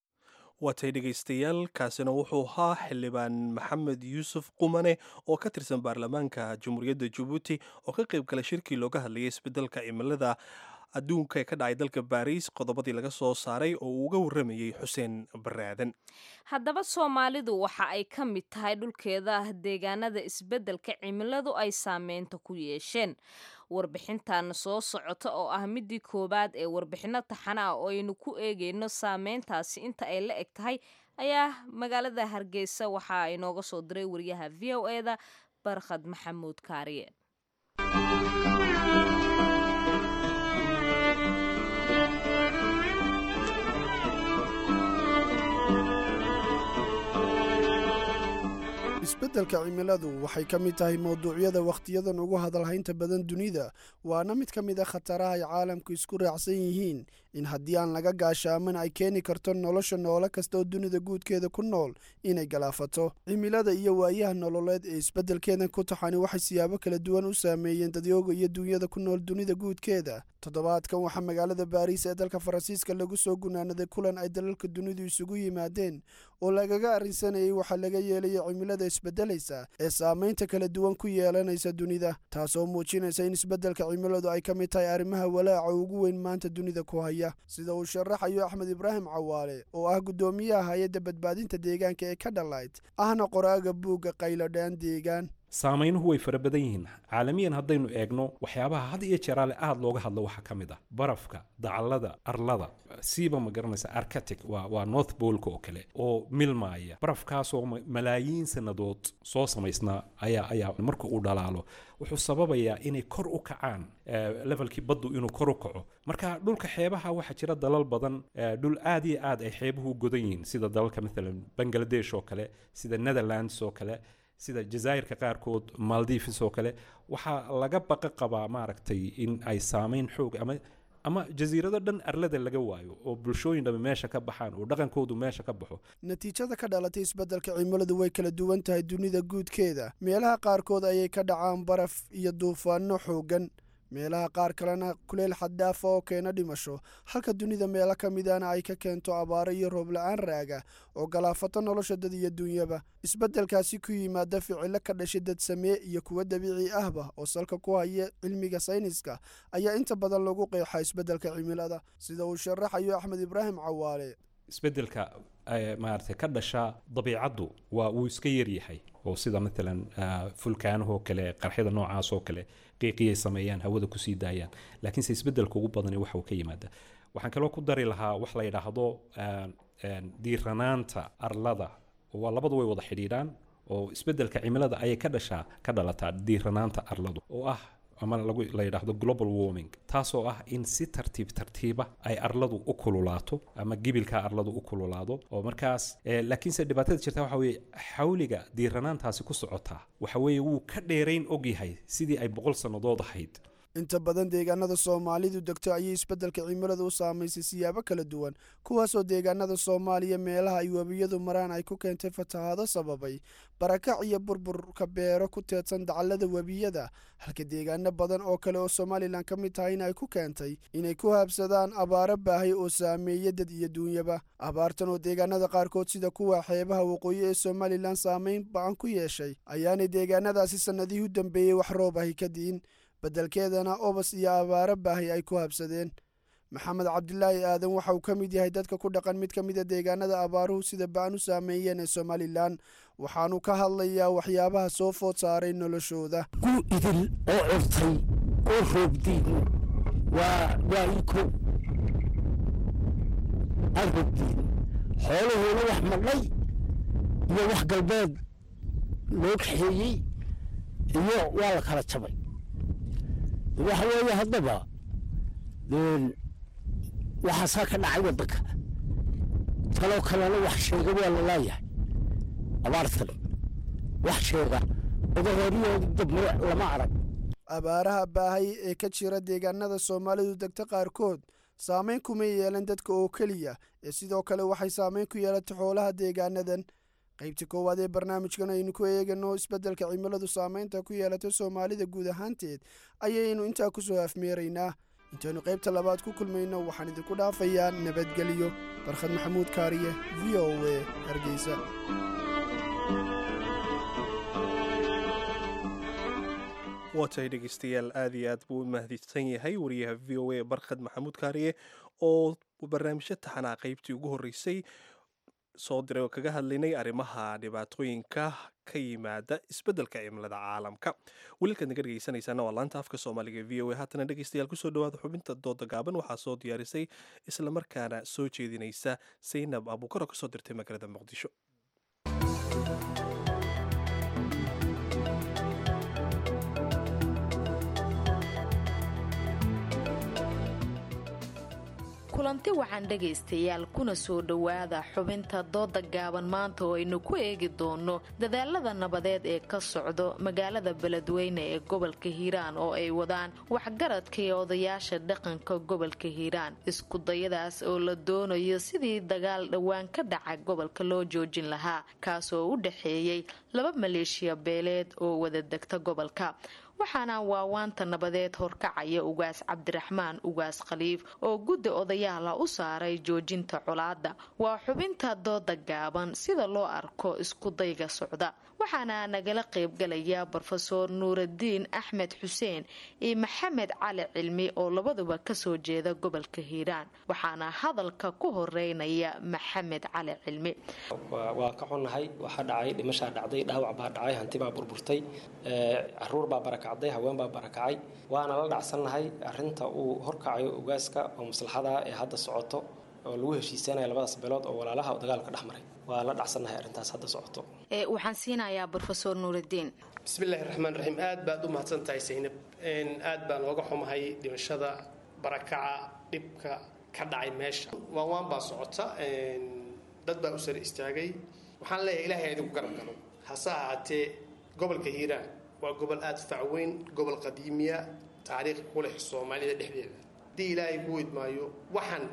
Waatay dhegaystayaal, kaasina wuxuu ahaa Xildhibaan Maxamed Yuusuf Qumane oo ka tirsan baarlamaanka Jamhuuriyadda Jabuuti oo ka qayb galay shirkii looga hadlayay isbedelka cimilada adduunka ee ka dhacay dalka Baariis, qodobadii laga soo saaray oo uu uga warramayey Xuseen Baraaden. Haddaba Soomaalidu waxa ay ka mid tahay dhulkeeda deegaanada isbeddelka cimiladu ay saameynta ku yeesheen. Warbixintan soo socota oo ah midii koowaad ee warbixinno taxana ah oo aynu ku eegayno saameyntaasi inta ay la eg tahay ayaa magaalada Hargeysa waxaa inooga soo diray wariyaha VOA-da Barkhad Maxamuud Kaariye. Isbeddelka cimiladu waxay ka mid tahay mowduucyada wakhtiyadan ugu hadalhaynta badan dunida, waana mid ka mid a khataraha ay caalamku isku raacsan yihiin in haddii aan laga gaashaaman ay keeni karto nolosha noolo kasta oo dunida guudkeeda ku nool inay galaafato. Cimilada iyo waayaha nololeed ee isbeddelkeedan ku taxani waxay siyaabo kala duwan u saameeyeen dadyooga iyo duunyada ku nool dunida guudkeeda. Toddobaadkan waxaa magaalada Baariis ee dalka Faransiiska lagu soo gunaanaday kulan ay dalalka dunidu isugu yimaadeen oo lagaga arrinsanayay waxaa laga yeelaya cimilada isbedelaysa ee saamaynta kala duwan ku yeelanaysa dunida, taasoo muujinaysa in isbeddelka cimiladu ay ka mid tahay arrimaha walaaca ugu weyn maanta dunida ku haya, sida uu sharaxayo Axmed Ibraahim Cawaale oo ah guddoomiyaha hay-adda badbaadinta deegaanka ee Kadhalight, ahna qoraaga buugga Qayladhaan Deegaan. Saamaynuhu way fara badan yihiin. Caalamiyan haddaynu eegno, waxyaabaha had iyo jeeraale aada looga hadlo waxaa ka mid ah barafka dacallada arlada, siiba ma garanaysa Arctic, waa North Poleka oo kale oo milmaaya. Barafkaasoo malaayiin sannadood soo samaysnaa ayaa marka uu dhalaalo wuxuu sababayaa inay kor u kacaan levelkii baddu, inuu kor u kaco. Marka dhulka xeebaha waxaa jira dalal badan, dhul aad iyo aad ay xeebuhu u godan yihiin, sida dalalka maalan Bangladesh oo kale, sida Netherlands oo kale, sida jazaa'irka qaarkood, Maldives oo kale. Waxaa laga baqa qabaa maaragtay in ay saameyn xoog ama jasiirado dhan arlada laga waayo oo bulshooyin dhami meesha ka baxaan oo dhaqankoodu meesha ka baxo. Natiijada ka dhalatay isbeddelka cimiladu way kala duwan tahay dunida guudkeeda. Meelaha qaarkood ayay ka dhacaan baraf iyo duufaano xooggan, meelaha qaar kalena kuleyl xaddaafa oo keena dhimasho, halka dunida meelo ka midana ay ka keento abaaro iyo roob la-aan raaga oo galaafato nolosha dad iyo dunyaba. Isbeddelkaasi ku yimaada ficilo ka dhashay dad samee iyo kuwo dabiici ahba oo salka ku haya cilmiga sayniska ayaa inta badan lagu qeexaa isbeddelka cimilada, sida uu sharaxayo Axmed Ibraahim Cawaale. Isbeddelka maaragtay ka dhasha dabiicaddu waa wuu iska yaryahay, oo sida maalan fulkaanahoo kale, qarxyada noocaas oo kale, qiiqiyay sameeyaan, hawada kusii daayaan. Laakiinse isbeddelka ugu badani waxa uu ka yimaada, waxaan kaloo ku dari lahaa wax la yidhaahdo diiranaanta arlada. Waa labadu way wada xidhiidhaan, oo isbeddelka cimilada ayay ka dhashaa, ka dhalataa diiranaanta arladu oo ah ama lagu la yidhaahdo global warming, taasoo ah in si tartiib tartiiba ay arladu u kululaato ama gibilka arladu u kululaado. Oo markaas laakiinse dhibaatada jirta waxa weeye xawliga diiranaantaasi ku socotaa waxa weeye wuu ka dheerayn ogyahay sidii ay 100 sannadood ahayd. Inta badan deegaanada Soomaalidu degto ayay isbeddelka cimiladu u saamaysay siyaabo kala duwan, kuwaasoo deegaanada Soomaaliya meelaha ay webiyadu maraan ay ku keentay fatahaado sababay barakac iyo burburka beero ku teedsan dacallada webiyada, halka deegaano badan oo kale oo Somalilan ka mid tahayna ay ku keentay inay ku habsadaan abaaro baahay oo saameeya dad iyo duunyaba. Abaartan oo deegaanada qaarkood sida kuwa xeebaha waqooyi ee Somalilan saameyn ba-an ku yeeshay ayaanay deegaanadaasi sannadihii u dambeeyey wax roob ahi ka di'in, beddelkeedana obas iyo abaaro baahay ay ku habsadeen. Maxamed Cabdilaahi Aadan waxa uu ka mid yahay dadka ku dhaqan mid ka mida deegaanada abaaruhu sida ba-an u saameeyeen ee Somalilan, waxaanu ka hadlayaa waxyaabaha soo food saaray noloshooda. Ku idil oo curtay oo roobdiidno waa ii kow aan roobdiidno, xoolahoona wax madhay iyo wax galbeed loo kaxeeyey iyo waa la kala jabay. Waxa weeye haddaba waxaasaa ka dhacay waddanka, taloo kalena wax sheega waa la laayahay. Abaartan wax sheega odahooriyooda dab lama arag. Abaaraha baahay ee ka jira deegaanada Soomaalidu degta qaarkood saameyn kuma yeelan dadka oo keliya ee sidoo kale waxay saameyn ku yeelatay xoolaha deegaanadan. Qaybta koowaad ee barnaamijkan aynu ku eegano isbeddelka cimiladu saameynta ku yeelatay Soomaalida guud ahaanteed ayaynu intaa ku soo afmeeraynaa. Intaynu qaybta labaad ku kulmayno waxaan idinku dhaafayaa nabadgelyo. Barkhad Maxamuud Kaariye, VOA, Hargeysa. Waa tahay dhegeystayaal, aad iyo aad buu u mahadsan yahay wariyaha VOA Barkhad Maxamuud Kaariye oo barnaamijyo taxanaa qaybtii ugu horreysay soo diray oo kaga hadlaynay arrimaha dhibaatooyinka ka yimaada isbeddelka cimilada caalamka. Weliilkaad naga dhegeysanaysaana waa laanta afka Soomaaliga VOA. Haatana dhegeystayaal, kusoo dhawaada xubinta dooda gaaban. Waxaa soo diyaarisay islamarkaana soo jeedinaysa Saynab Abuukar oo kasoo dirtay magaalada Muqdisho. Kulanti wacan dhegaystayaal, kuna soo dhowaada xubinta dooda gaaban maanta oo aynu ku eegi doono dadaalada nabadeed ee ka socdo magaalada Beledweyne ee gobolka Hiiraan oo ay wadaan waxgaradka iyo odayaasha dhaqanka gobolka Hiiraan, iskudayadaas oo la doonayo sidii dagaal dhowaan ka dhaca gobolka loo joojin lahaa, kaasoo u dhexeeyey laba maleeshiya beeleed oo wada degta gobolka. Waxaana waawaanta nabadeed horkacaya Ugaas Cabdiraxmaan Ugaas Khaliif oo guddi odayaala u saaray joojinta colaada. Waa xubinta dooda gaaban sida loo arko iskudayga socda, waxaana nagala qaybgalaya Brofesoor Nuuradiin Axmed Xuseen iyo Maxamed Cali Cilmi oo labaduba kasoo jeeda gobolka Hiiraan. Waxaana hadalka ku horeynaya Maxamed Cali Cilmi. Waa ka xunnahay waxaa dhacay, dhimashaa dhacday, dhaawac baa dhacay, hanti baa burburtay, caruur baa barakacday, haween baa barakacay. Waana la dhacsannahay arrinta uu horkacayo ugaaska oo maslaxada ee hadda socoto oo lagu heshiisanaya labadaas beelood oo walaalaha dagaalka dhex maray. Waa la dhacsannahay arrintaas hadda socoto. Waxaan siinayaa Brofesoor Nuuraddiin. Bismillahi raxmaan raxiim. Aad baad u mahadsan tahay Saynab. Aad baan ooga xumahay dhimashada, barakaca, dhibka ka dhacay meesha. Waan baa socota, dad baa u sare istaagay. Waxaan leeyahay Ilaahay idinku garab galo. Hase ahaatee gobolka Hiiraan waa gobol aada fac weyn, gobol qadiimiya, taariikh ku leh Soomaalida dhexdeeda. Haddii Ilaahay ku idmaayo, waxaan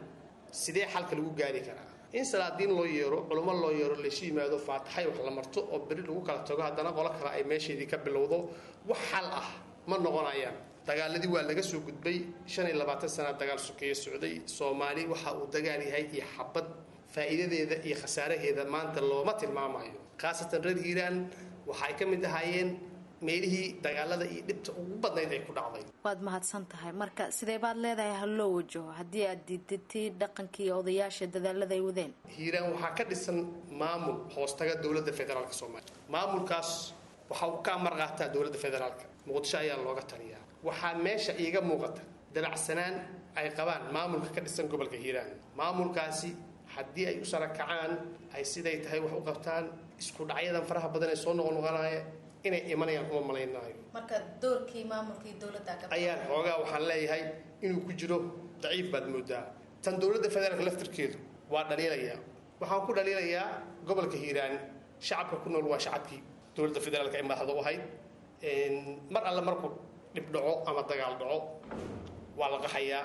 sidee xalka lagu gaari karaa? In salaadiin loo yeero, culummo loo yeero, laysu yimaado, faataxay wax la marto oo beri lagu kala tago, haddana qolo kale ay meesheedii ka bilowdo, wax xal ah ma noqonayaan. Dagaaladii waa laga soo gudbay. 25 sana dagaal sokeeye socday Soomaali. Waxa uu dagaal yahay iyo xabad faa'iidadeeda iyo khasaaraheeda maanta looma tilmaamayo. Khaasatan reer Hiiraan waxay ka mid ahaayeen meelihii dagaalada iyo dhibta ugu badnayd ay ku dhacday. Waad mahadsan tahay. Marka sidee baad leedahay ha loo wajaho haddii aad diidatay dhaqankii odayaasha dadaalada ay wadeen? Hiiraan waxaa ka dhisan maamul hoostaga dowladda federaalka Soomaaliya. Maamulkaas waxa uu ka amar qaataa dowladda federaalka. Muqdisho ayaa looga taliyaa. Waxaa meesha iiga muuqata dabacsanaan ay qabaan maamulka ka dhisan gobolka Hiiraan. Maamulkaasi haddii ay u sarakacaan, ay siday tahay wax u qabtaan, isku dhacyadan faraha badan ee soo noqnoqonaya inay imanayaan uma malaynaayo. Marka doorkii maamulkii dowladda ayaan xoogaa waxaan leeyahay inuu ku jiro daciif baad moodaa. Tan dowladda federaalka laftirkeedu waa dhaliilayaa. Waxaan ku dhaliilayaa gobolka Hiiraan shacabka ku nool waa shacabkii dowladda federaalka ay madaxda u ahayd. Mar alle markuu dhib dhaco ama dagaal dhaco, waa la qaxayaa,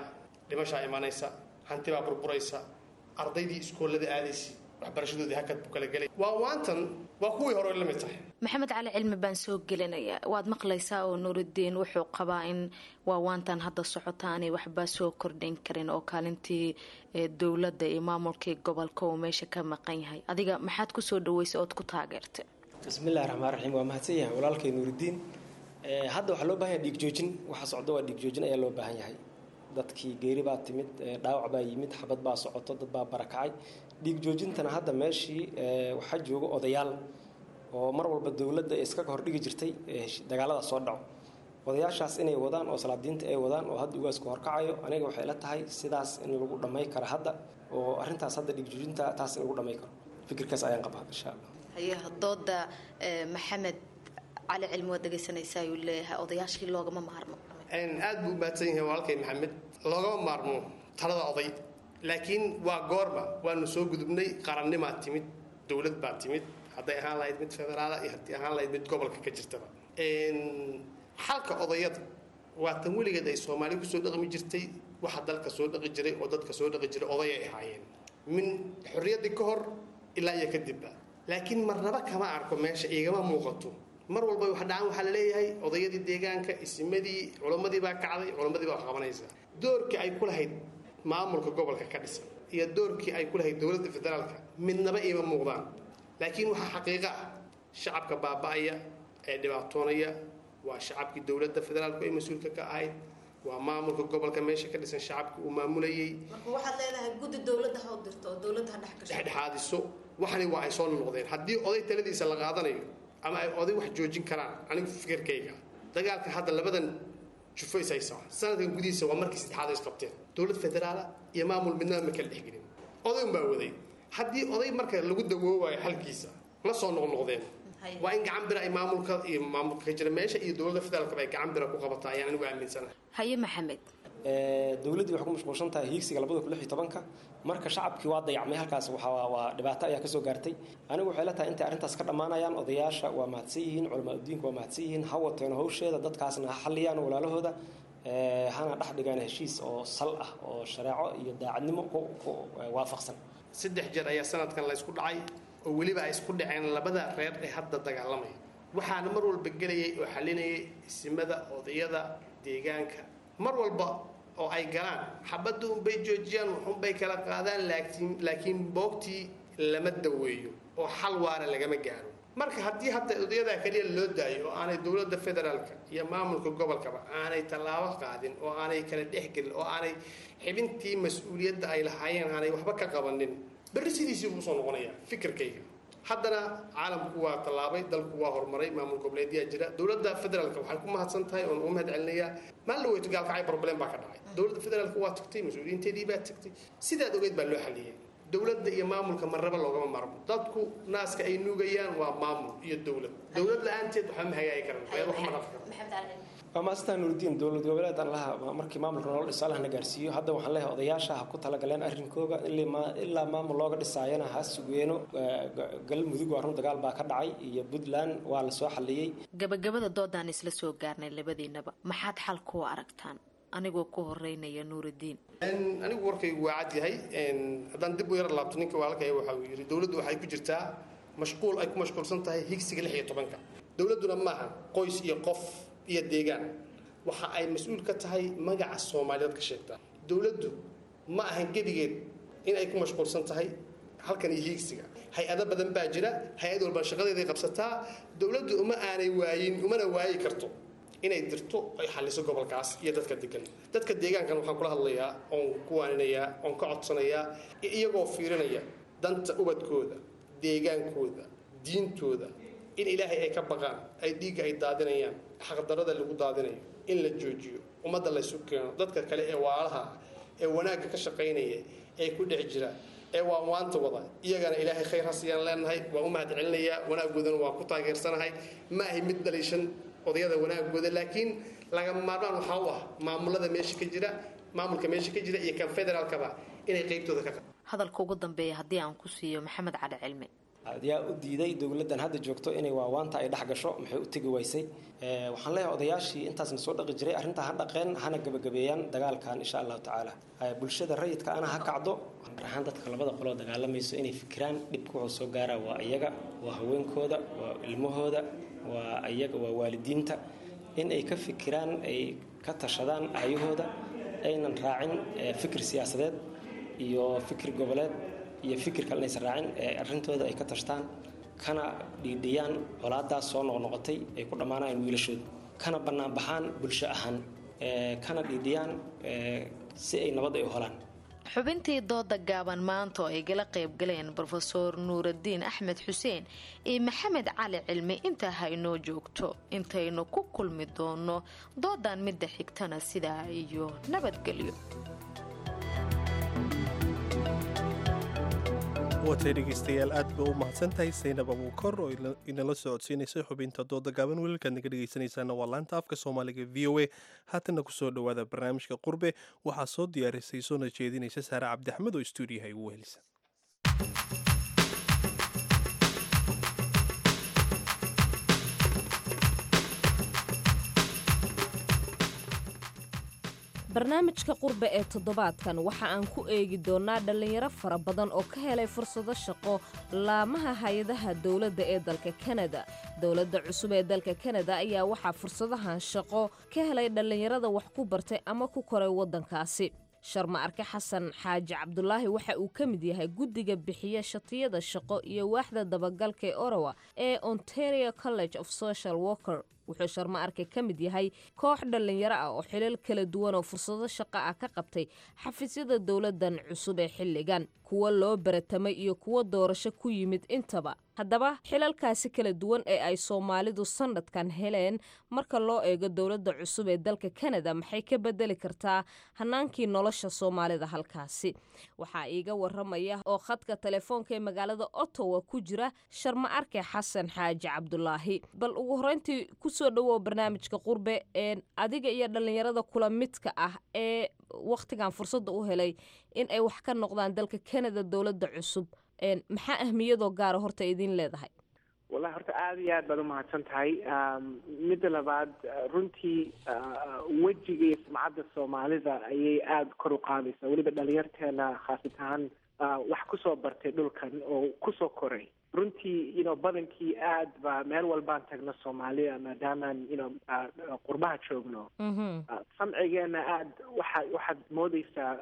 dhimashaa imanaysa, hanti baa burburaysa, ardaydii iskoolada aadaysay waxbarashadoodii hakad buu kala gelay. Waa waantan waa kuwii hore la mid tahay. Maxamed Cali Cilmi baan soo gelinaya. Waad maqlaysaa oo Nuuridiin wuxuu qabaa in waawaantan hadda socota aanay waxba soo kordhin karin oo kaalintii dowladda iyo maamulkii gobolka uu meesha ka maqan yahay. Adiga maxaad kusoo dhaweysay ood ku taageertay? Bismillahi raxmaan raxiim. Waa mahadsan yahay walaalkay Nuuridiin. Hadda waxaa loo baahan yahay dhiig joojin. Waxa socda waa dhiig joojin ayaa loo baahan yahay. Dadkii geeri baa timid, dhaawac baa yimid, xabad baa socoto, dad baa barakacay. Dhiig joojintana hadda meeshii waxaa jooga odayaal oo mar walba dowladda iskaga hordhigi jirtay dagaalada soo dhaco. Odayaashaas inay wadaan oo salaadiinta ay wadaan oo hadda ugaasku horkacayo, aniga waxay la tahay sidaas in lagu dhamay karo hadda, oo arrintaas hadda dhiig joojinta taas in lagu dhamay karo. Fikirkaas ayaan qabaa, insha Allah. Haye, dooda Maxamed Cali Cilmi waad dhegeysanaysaa, ayuu leeyahay odayaashii loogama maarmo. Aad buu u mahadsan yahay walaalkay Maxamed. Loogama maarmo talada oday, laakiin waa goorma? Waanu soo gudubnay, qarannimaa timid, dowlad baa timid, hadday ahaan lahayd mid federaala iyo haddii ahaan lahayd mid gobolka ka jirtaba. Xalka odayada waa tan weligeed ay Soomaali kusoo dhaqmi jirtay. Waxa dalka soo dhaqi jiray oo dadka soo dhaqi jiray odayay ahaayeen, min xorriyaddii ka hor ilaa iyo kadibba. Laakiin marnaba kama arko meesha, igama muuqato. Mar walba wax dhacaan waxaa la leeyahay odayadii deegaanka, isimadii, culammadii baa kacday, culammadii baa wax qabanaysa. Doorkii ay ku lahayd maamulka gobolka ka dhisan iyo doorkii ay ku lahayd dowladda federaalka midnaba iima muuqdaan. Laakiin waxaa xaqiiqo ah, shacabka baaba'aya ee dhibaatoonaya waa shacabkii dowladda federaalku ay mas-uulka ka ahayd, waa maamulka gobolka meesha ka dhisan shacabka uu maamulayay. Marka waxaad leedahay guddi dowladda ha u dirto oo dowladda ha dhex gasho. Dhexdhexaadiso. Waxani waa ay soo noqdeen. Haddii oday taladiisa la qaadanayo ama ay oday wax joojin karaan, anigu fikirkayga, dagaalka hadda labadan jufo is haysaa sanadkan gudihiisa waa markii saddexaad ay isqabteen. Dowlad federaala iyo maamul midnaba ma kala dhexgelin, oday unbaa waday. Haddii oday marka lagu dawoobayo xalkiisa la soo noqnoqdeen, waa in gacan bira ay maamulka iyo maamulka ka jira meesha iyo dowladda federaalkaba ay gacan bira ku qabataa ayaan anigu aaminsanahay. Haye Maxamed. Dowladdii waxay ku mashquulsan tahay hiigsiga 2016-ka. Marka shacabkii waa dayacmay halkaas, waa dhibaato ayaa kasoo gaartay. Anigu waxay la tahay intay arrintaas ka dhammaanayaan, odayaasha waa mahadsan yihiin, culamaa udiinka waa mahadsan yihiin, ha wateen hawsheeda, dadkaasna ha xalliyaan walaalahooda, hana dhex dhigaan heshiis oo sal ah oo shareeco iyo daacadnimo ku waafaqsan. Saddex jeer ayaa sanadkan la isku dhacay, oo weliba ay isku dhaceen labada reer ee hadda dagaalamaya. Waxaana mar walba gelayay oo xalinayay isimada, odayada deegaanka. Mar walba oo ay galaan xabadda unbay joojiyaan, waxunbay kala qaadaan, laakiin boogtii lama daweeyo oo xal waara lagama gaaro. Marka haddii hadda odayadaa keliya loo daayo oo aanay dowladda federaalka iyo maamulka gobolkaba aanay tallaabo qaadin oo aanay kala dhexgelin oo aanay xibintii mas-uuliyadda ay lahaayeen aanay waxba ka qabanin, berri sidiisii buu usoo noqonayaa fikirkayga. Haddana caalamku waa tallaabay, dalku waa horumaray, maamul goboleedyaa jira. Dowladda federaalka waxay ku mahadsan tahay oon ugu mahad celinayaa, maalin la weyto Gaalkacay problem baa ka dhacay, dowladda federaalka waa tagtay, mas-uuliyiinteedii baa tagtay, sidaad ogeyd baa loo xaliyey. Dowladda iyo maamulka marnaba loogama maarmo. Dadku naaska ay nuugayaan waa maamul iyo dowlad. Dowlad la-aanteed waxba ma hagaagi karan, reer wax ma dhaqi karo. Waa maastaa Nuuridiin. Dowlad goboleed Allaha markii maamulka nolol dhiso Allahna gaarsiiyo. Hadda waxaan leeyahay odayaasha ha ku talagaleen arrinkooga ilaa maamul looga dhisaayana ha sugeeno. Galmudug waa run, dagaal baa ka dhacay, iyo Puntland waa la soo xaliyey. Gabagabada doodaan isla soo gaarnay, labadiinaba maxaad xal ku aragtaan? Anigoo ku horeynaya Nuuridiin. Anigu warkaygu waa cad yahay. Haddaan dib u yar laabto, ninka walaalkay waxa uu yidhi dowladdu waxay ku jirtaa mashquul, ay ku mashquulsan tahay higsiga 16-ka. Dowladduna maaha qoys iyo qof iyo deegaan, waxa ay mas-uul ka tahay magaca Soomaaliyeed ka sheegtaa. Dowladdu ma ahan gebigeed in ay ku mashquulsan tahay halkan iyo hiigsiga. Hay-ado badan baa jira, hay-ad walba shaqadeeday qabsataa. Dowladdu uma aanay waayin, umana waayi karto inay dirto ay xalliso gobolkaas iyo dadka degan. Dadka deegaankan waxaan kula hadlayaa oon ku waaninayaa oon ka codsanayaa, iyagoo fiirinaya danta ubadkooda, deegaankooda, diintooda, in Ilaahay ay ka baqaan, ay dhiigga ay daadinayaan, xaqdarada lagu daadinayo in la joojiyo, ummadda laysu keeno, dadka kale ee waalaha ee wanaagga ka shaqaynaya ee ku dhex jira ee waa waanta wada, iyagana Ilaahay khayr ha siiyaan leenahay. Waan u mahad celinayaa wanaaggoodana, waan ku taageersanahay. Ma ahi mid dhaliishan odayada wanaagooda, laakiin lagama maarmaan waxaa u ah maamulada meesha ka jira, maamulka meesha ka jira iyo kan federaalkaba inay qaybtooda ka Hadalka ugu dambeeya haddii aan ku siiyo Maxamed Cali Cilmi. Yaa u diiday dowladdan hadda joogto inay waawaanta ay dhex gasho? Maxay u tegi waysay? Waxaan leeyahay odayaashii intaasna soo dhaqi jiray arrintaa ha dhaqeen, hana gabagabeeyaan dagaalkan, insha Allahu tacaala. Bulshada rayidka ana ha kacdo, gaar ahaan dadka labada qoloo dagaalamayso, inay fikiraan dhibka wuxuu soo gaaraa waa iyaga, waa haweenkooda, waa ilmahooda, waa iyaga, waa waalidiinta, in ay ka fikiraan, ay ka tashadaan aayahooda, aynan raacin fikir siyaasadeed iyo fikir goboleed iyo fikir kale, inaysan raacin ee arrintooda ay ka tashtaan, kana dhiidhiyaan colaadaas soo noqnoqotay ay ku dhammaanayaan wiilashooda, kana bannaan baxaan bulsho ahaan, kana dhiidhiyaan si ay nabad ay u helaan. Xubintii dooda gaaban maanta oo ay gala qaybgaleen Brofesoor Nuuraddiin Axmed Xuseen iyo Maxamed Cali Cilmi intaa ha inoo joogto. Intaynu ku kulmi doono doodan midda xigtana, sidaa iyo nabadgelyo. Waatay dhegeystayaal, aad ba u mahadsan tahay Saynab Abuukor oo inala socodsiinaysay xubinta dooda gaaban. Welalkaad naga dhegeysanaysaana waa laanta afka Soomaaliga VOA. Haatanna kusoo dhowaada barnaamijka Qurbe. Waxaa soo diyaarisay soona jeedinaysa Saare Cabdi Axmed oo stuudiyaha igu wehelisa. Barnaamijka Qurbe ee toddobaadkan waxa aan ku eegi doonnaa dhallinyaro fara badan oo ka helay fursado shaqo laamaha hay-adaha dowladda ee dalka Kanada. Dowladda cusub ee dalka Kanada ayaa waxaa fursadahan shaqo ka helay dhallinyarada wax ku bartay ama ku koray waddankaasi. Sharma Arke Xasan Xaaji Cabdulaahi waxa uu ka mid yahay guddiga bixiya shatiyada shaqo iyo waaxda dabagalka ee Ottawa ee Ontario College of Social Worker. Wuxuu Sharma Arke ka mid yahay koox dhallinyaro ah oo xilal kala duwan oo fursado shaqo ah ka qabtay xafiisyada dowladdan cusub ee xilligan, kuwa loo baratamay iyo kuwa doorasho ku yimid intaba. Haddaba, xilalkaasi kala duwan ee ay Soomaalidu sanadkan heleen, marka loo eego dowladda cusub ee dalka Kanada, maxay ka bedeli kartaa hanaankii nolosha Soomaalida halkaasi? Waxaa iiga waramaya oo khadka telefoonka ee magaalada Ottawa ku jira Sharma Arke Xasan Xaaji Cabdulaahi. Bal ugu horeyntii kusoo dhawow barnaamijka Qurbe. Adiga iyo dhallinyarada kula midka ah ee wakhtigan fursadda u helay in ay wax ka noqdaan dalka Canada dowladda cusub, maxaa ahmiyadoo gaara horta idiin leedahay? Wallahi, horta aada iyo aad baad umahadsan tahay. Midda labaad, runtii wejiga iyo sumcadda Soomaalida ayay aada kor u qaadaysaa, weliba dhalinyarteena khaasat ahaan wax kusoo bartay dhulkan oo kusoo koray. Runtii badankii aad ba meel walbaan tagno Soomaaliya, maadaamaan qurbaha joogno, samcigeena aad waxaad moodeysaa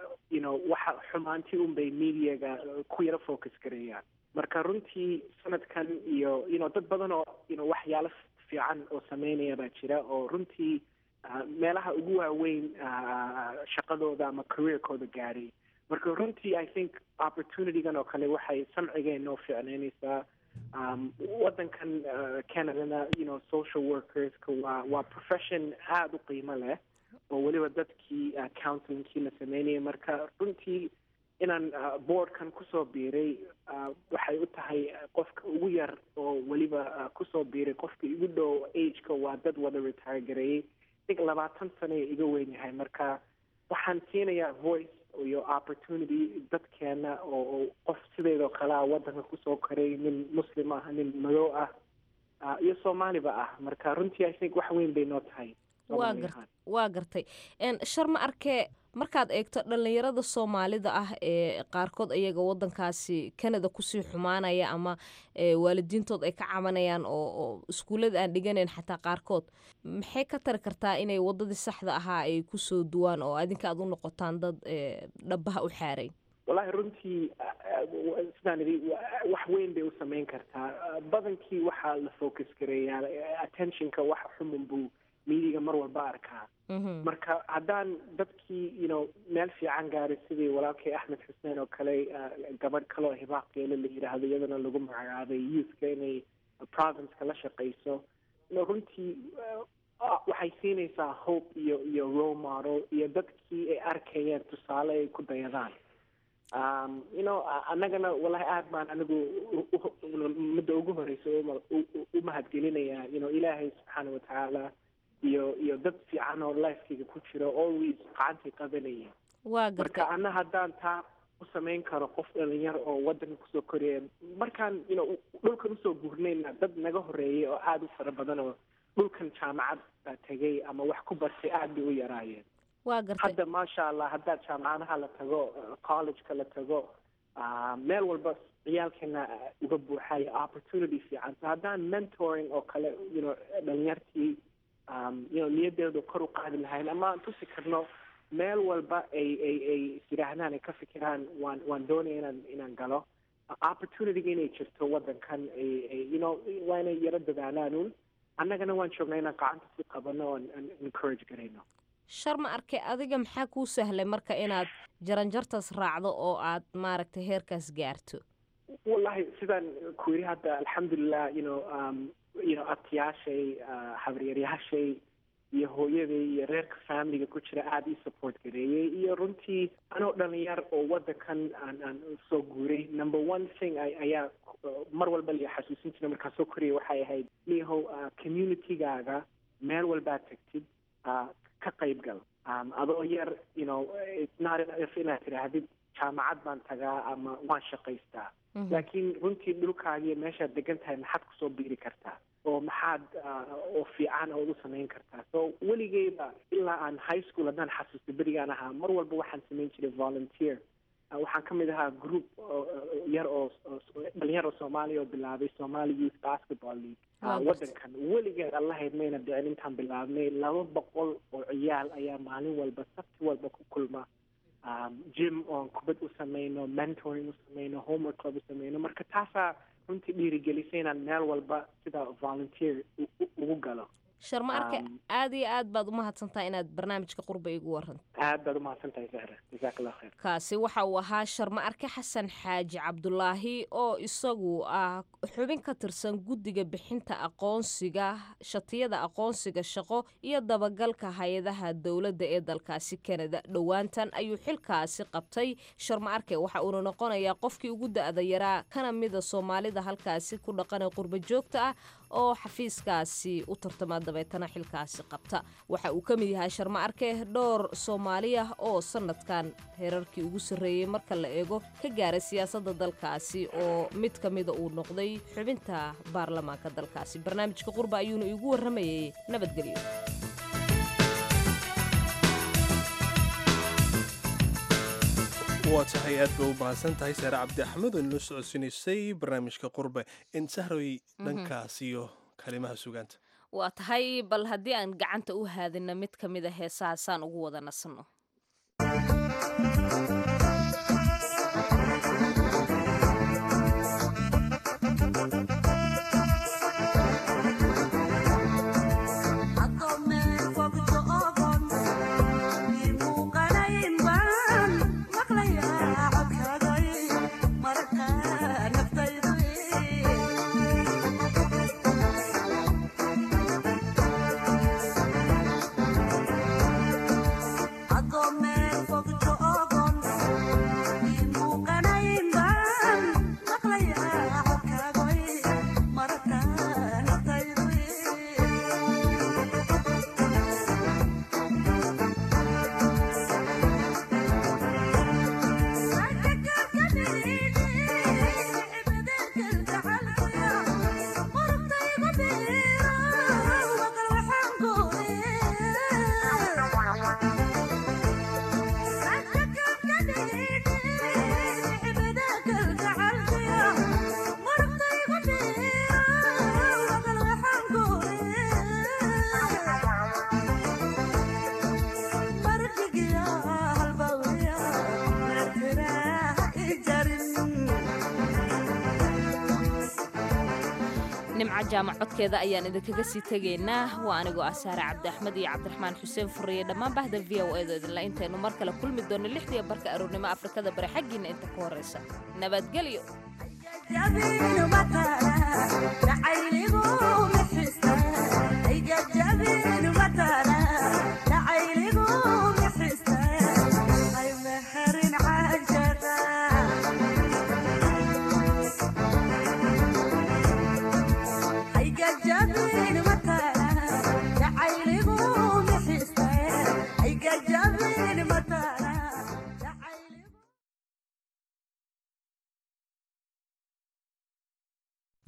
waxa xumaantii unbay mediaga ku yaro focus gareeyaan. Marka runtii sanadkan iyo dad badan oo waxyaalo fiican oo sameynaya baa jira, oo runtii meelaha ugu waaweyn shaqadooda ama careerkooda gaadhay. Marka runtii I think opportunitygan oo kale waxay samcigeena noo fiicnaynaysaa. Waddankan Canadana social workerska waa profession aada u qiimo leh, oo weliba dadkii counselingkii la sameynayay. Marka runtii inaan boardkan kusoo biiray waxay u tahay qofka ugu yar oo weliba kusoo biiray. Qofka igu dhow ageka waa dad wada retire gareeyey, think 20 sano iga weyn yahay. Marka waxaan siinayaa voice iyo opportunity dadkeena oo qof sideedoo kale ah waddanka kusoo koray, nin Muslim ah, nin madow ah, iyo Soomaaliba ah. Marka runtii I think wax weyn bay noo tahay. Waa gartay. Sharma Arkee, markaad eegto dhallinyarada Soomaalida ah ee qaarkood iyaga wadankaasi Canada kusii xumaanaya ama waalidiintood ay ka cabanayaan oo iskuullada aan dhiganayn xataa qaarkood, maxay ka tari kartaa inay wadadii saxda ahaa ay kusoo duwaan oo adinka aad u noqotaan dad dhabaha u xaaray? Wallahi, runtii sidaan idhi, wax weyn bay u sameyn kartaa. Badankii waxaa la focus gareeyaa attentionka waxa xumun buu mediaga mar walba arkaa. Marka haddaan dadkii meel fiican gaaray, sidii walaalkay Axmed Xuseen oo kale, gabadh kaloo Hibaaq Geele la yidhaahdo, iyadana lagu magacaabay youthka inay provinceka la shaqeyso, runtii waxay siinaysaa hope iyo role model iyo dadkii ay arkayeen tusaale ay ku dayadaan. Annagana wallahi aad baan anigu midda ugu horeysa u mahadgelinayaa Ilaahay subxaana watacaala iyo dad fiican oo lifekeyga ku jiro, always gacantay qabanayeen. Waa Marka ana haddaan taa u samayn karo qof dhalinyar oo waddanka kusoo koraya. Markaan dhulkan usoo guurnayna, dad naga horeeyay oo aada u fara badan oo dhulkan jaamacad tegay ama wax ku bartay aada bay u yaraayeen. Waa gartay. Hadda maasha Allah, haddaad jaamacadaha la tago, collegeka la tago, meel walba ciyaalkeena uga buuxayo opportunity fiican. So haddaan mentoring oo kale dhalinyartii niyadeedu kor u qaadi lahayn ama aan tusi karno meel walba ay is yidhaahdaan, ay ka fikiraan, waan doonaya inaan galo, opportunityga inay jirto waddankan, ay waa inay yaro dadaalaan un. Annagana waan joognaa inaan gacanta si qabano oon encourage garayno. Sharma Arke, adiga maxaa kuu sahlay marka inaad jaranjartaas raacdo oo aad maaragtay heerkaas gaarto? Wallahi, sidaan ku yidhi hadda, alxamdulilah, abtiyaashay, habaryaryaashay iyo hooyaday iyo reerka familiga ku jira aada ii support gareeyey. Iyo runtii anoo dhalinyar oo waddankan aan soo guuray, number one thing ayaa mar walba la xasuusin jiray markaan soo korayay waxay ahayd, niyahow, communitygaaga meel walbaad tagtid ka qayb gal. Adoo yar, it's not enough inaad tidhaahdid jaamacad baan tagaa ama waan shaqaystaa, laakiin runtii dhulkaaga iyo meeshaad degan tahay maxaad kusoo biiri kartaa oo maxaad oo fiican ood u samayn kartaa? So weligeyba ilaa aan high school, haddaan xasuusto berigaan ahaa, mar walba waxaan samayn jiray volunteer. Waxaan ka mid ahaa group yar oo dhalinyar oo Soomaaliya oo bilaabay Somali Youth Basketball League waddankan. Weligeed allahayd mayna dhicin intaan bilaabnay, 200 oo ciyaal ayaa maalin walba, sabti walba ku kulma gym oon kubad u samayno, mentoring u samayno, homework club u samayno. Marka taasaa runtii dhiirigelisay inaan meel walba sida volunteer ugu galo. Sharma Arke, aada iyo aad baad umahadsantahay inaad barnaamijka Qurba igu waranto. Aad baad umahadsan tahay, Zahra, jazaak Allah khayr. Kaasi waxa uu ahaa Sharma Arke Xasan Xaaji Cabdulaahi oo isagu ah xubin ka tirsan guddiga bixinta aqoonsiga, shatiyada aqoonsiga shaqo iyo dabagalka hay-adaha dowladda ee dalkaasi Canada. Dhowaantan ayuu xilkaasi qabtay Sharma Arke, waxa uuna noqonayaa qofkii ugu da-da yaraa kana mida Soomaalida halkaasi ku dhaqan ee qurba joogta ah oo xafiiskaasi u tartama, dabeetana xilkaasi qabta. Waxa uu ka mid yahay Sharma Arke dhowr Soomaali ah oo sanadkan heerarkii ugu sarreeyey marka la eego ka gaaray siyaasadda dalkaasi, oo mid ka mida uu noqday xubinta baarlamaanka dalkaasi. Barnaamijka Qurba ayuuna iigu warramayay. Nabadgelyo. Waa tahay, aad bay u mahadsan tahay Saare Cabdi Axmed oo inoo socodsiinaysay barnaamijka Qurbe. In Sahroy, dhankaas iyo kalimaha sugaanta. Waa tahay, bal haddii aan gacanta u haadina mid ka mid a heesahaasaan ugu wada nasanno. Nimca Jaamac codkeeda ayaan idinkaga sii tegaynaa. Waa anigoo ah Saare Cabdi Axmed iyo Cabdiraxmaan Xuseen Furriye, dhammaan bahda VOA da idinla intaynu mar kale kulmi doonno 6:30 aroornimo Afrikada Bari xaggiina inta ka horraysa, nabadgelyo.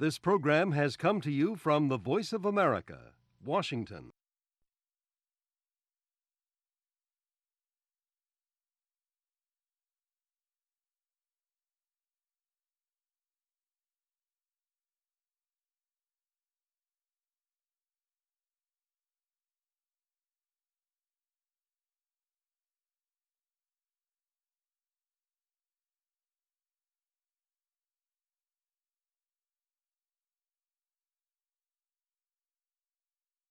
This program has come to you from the Voice of America, Washington.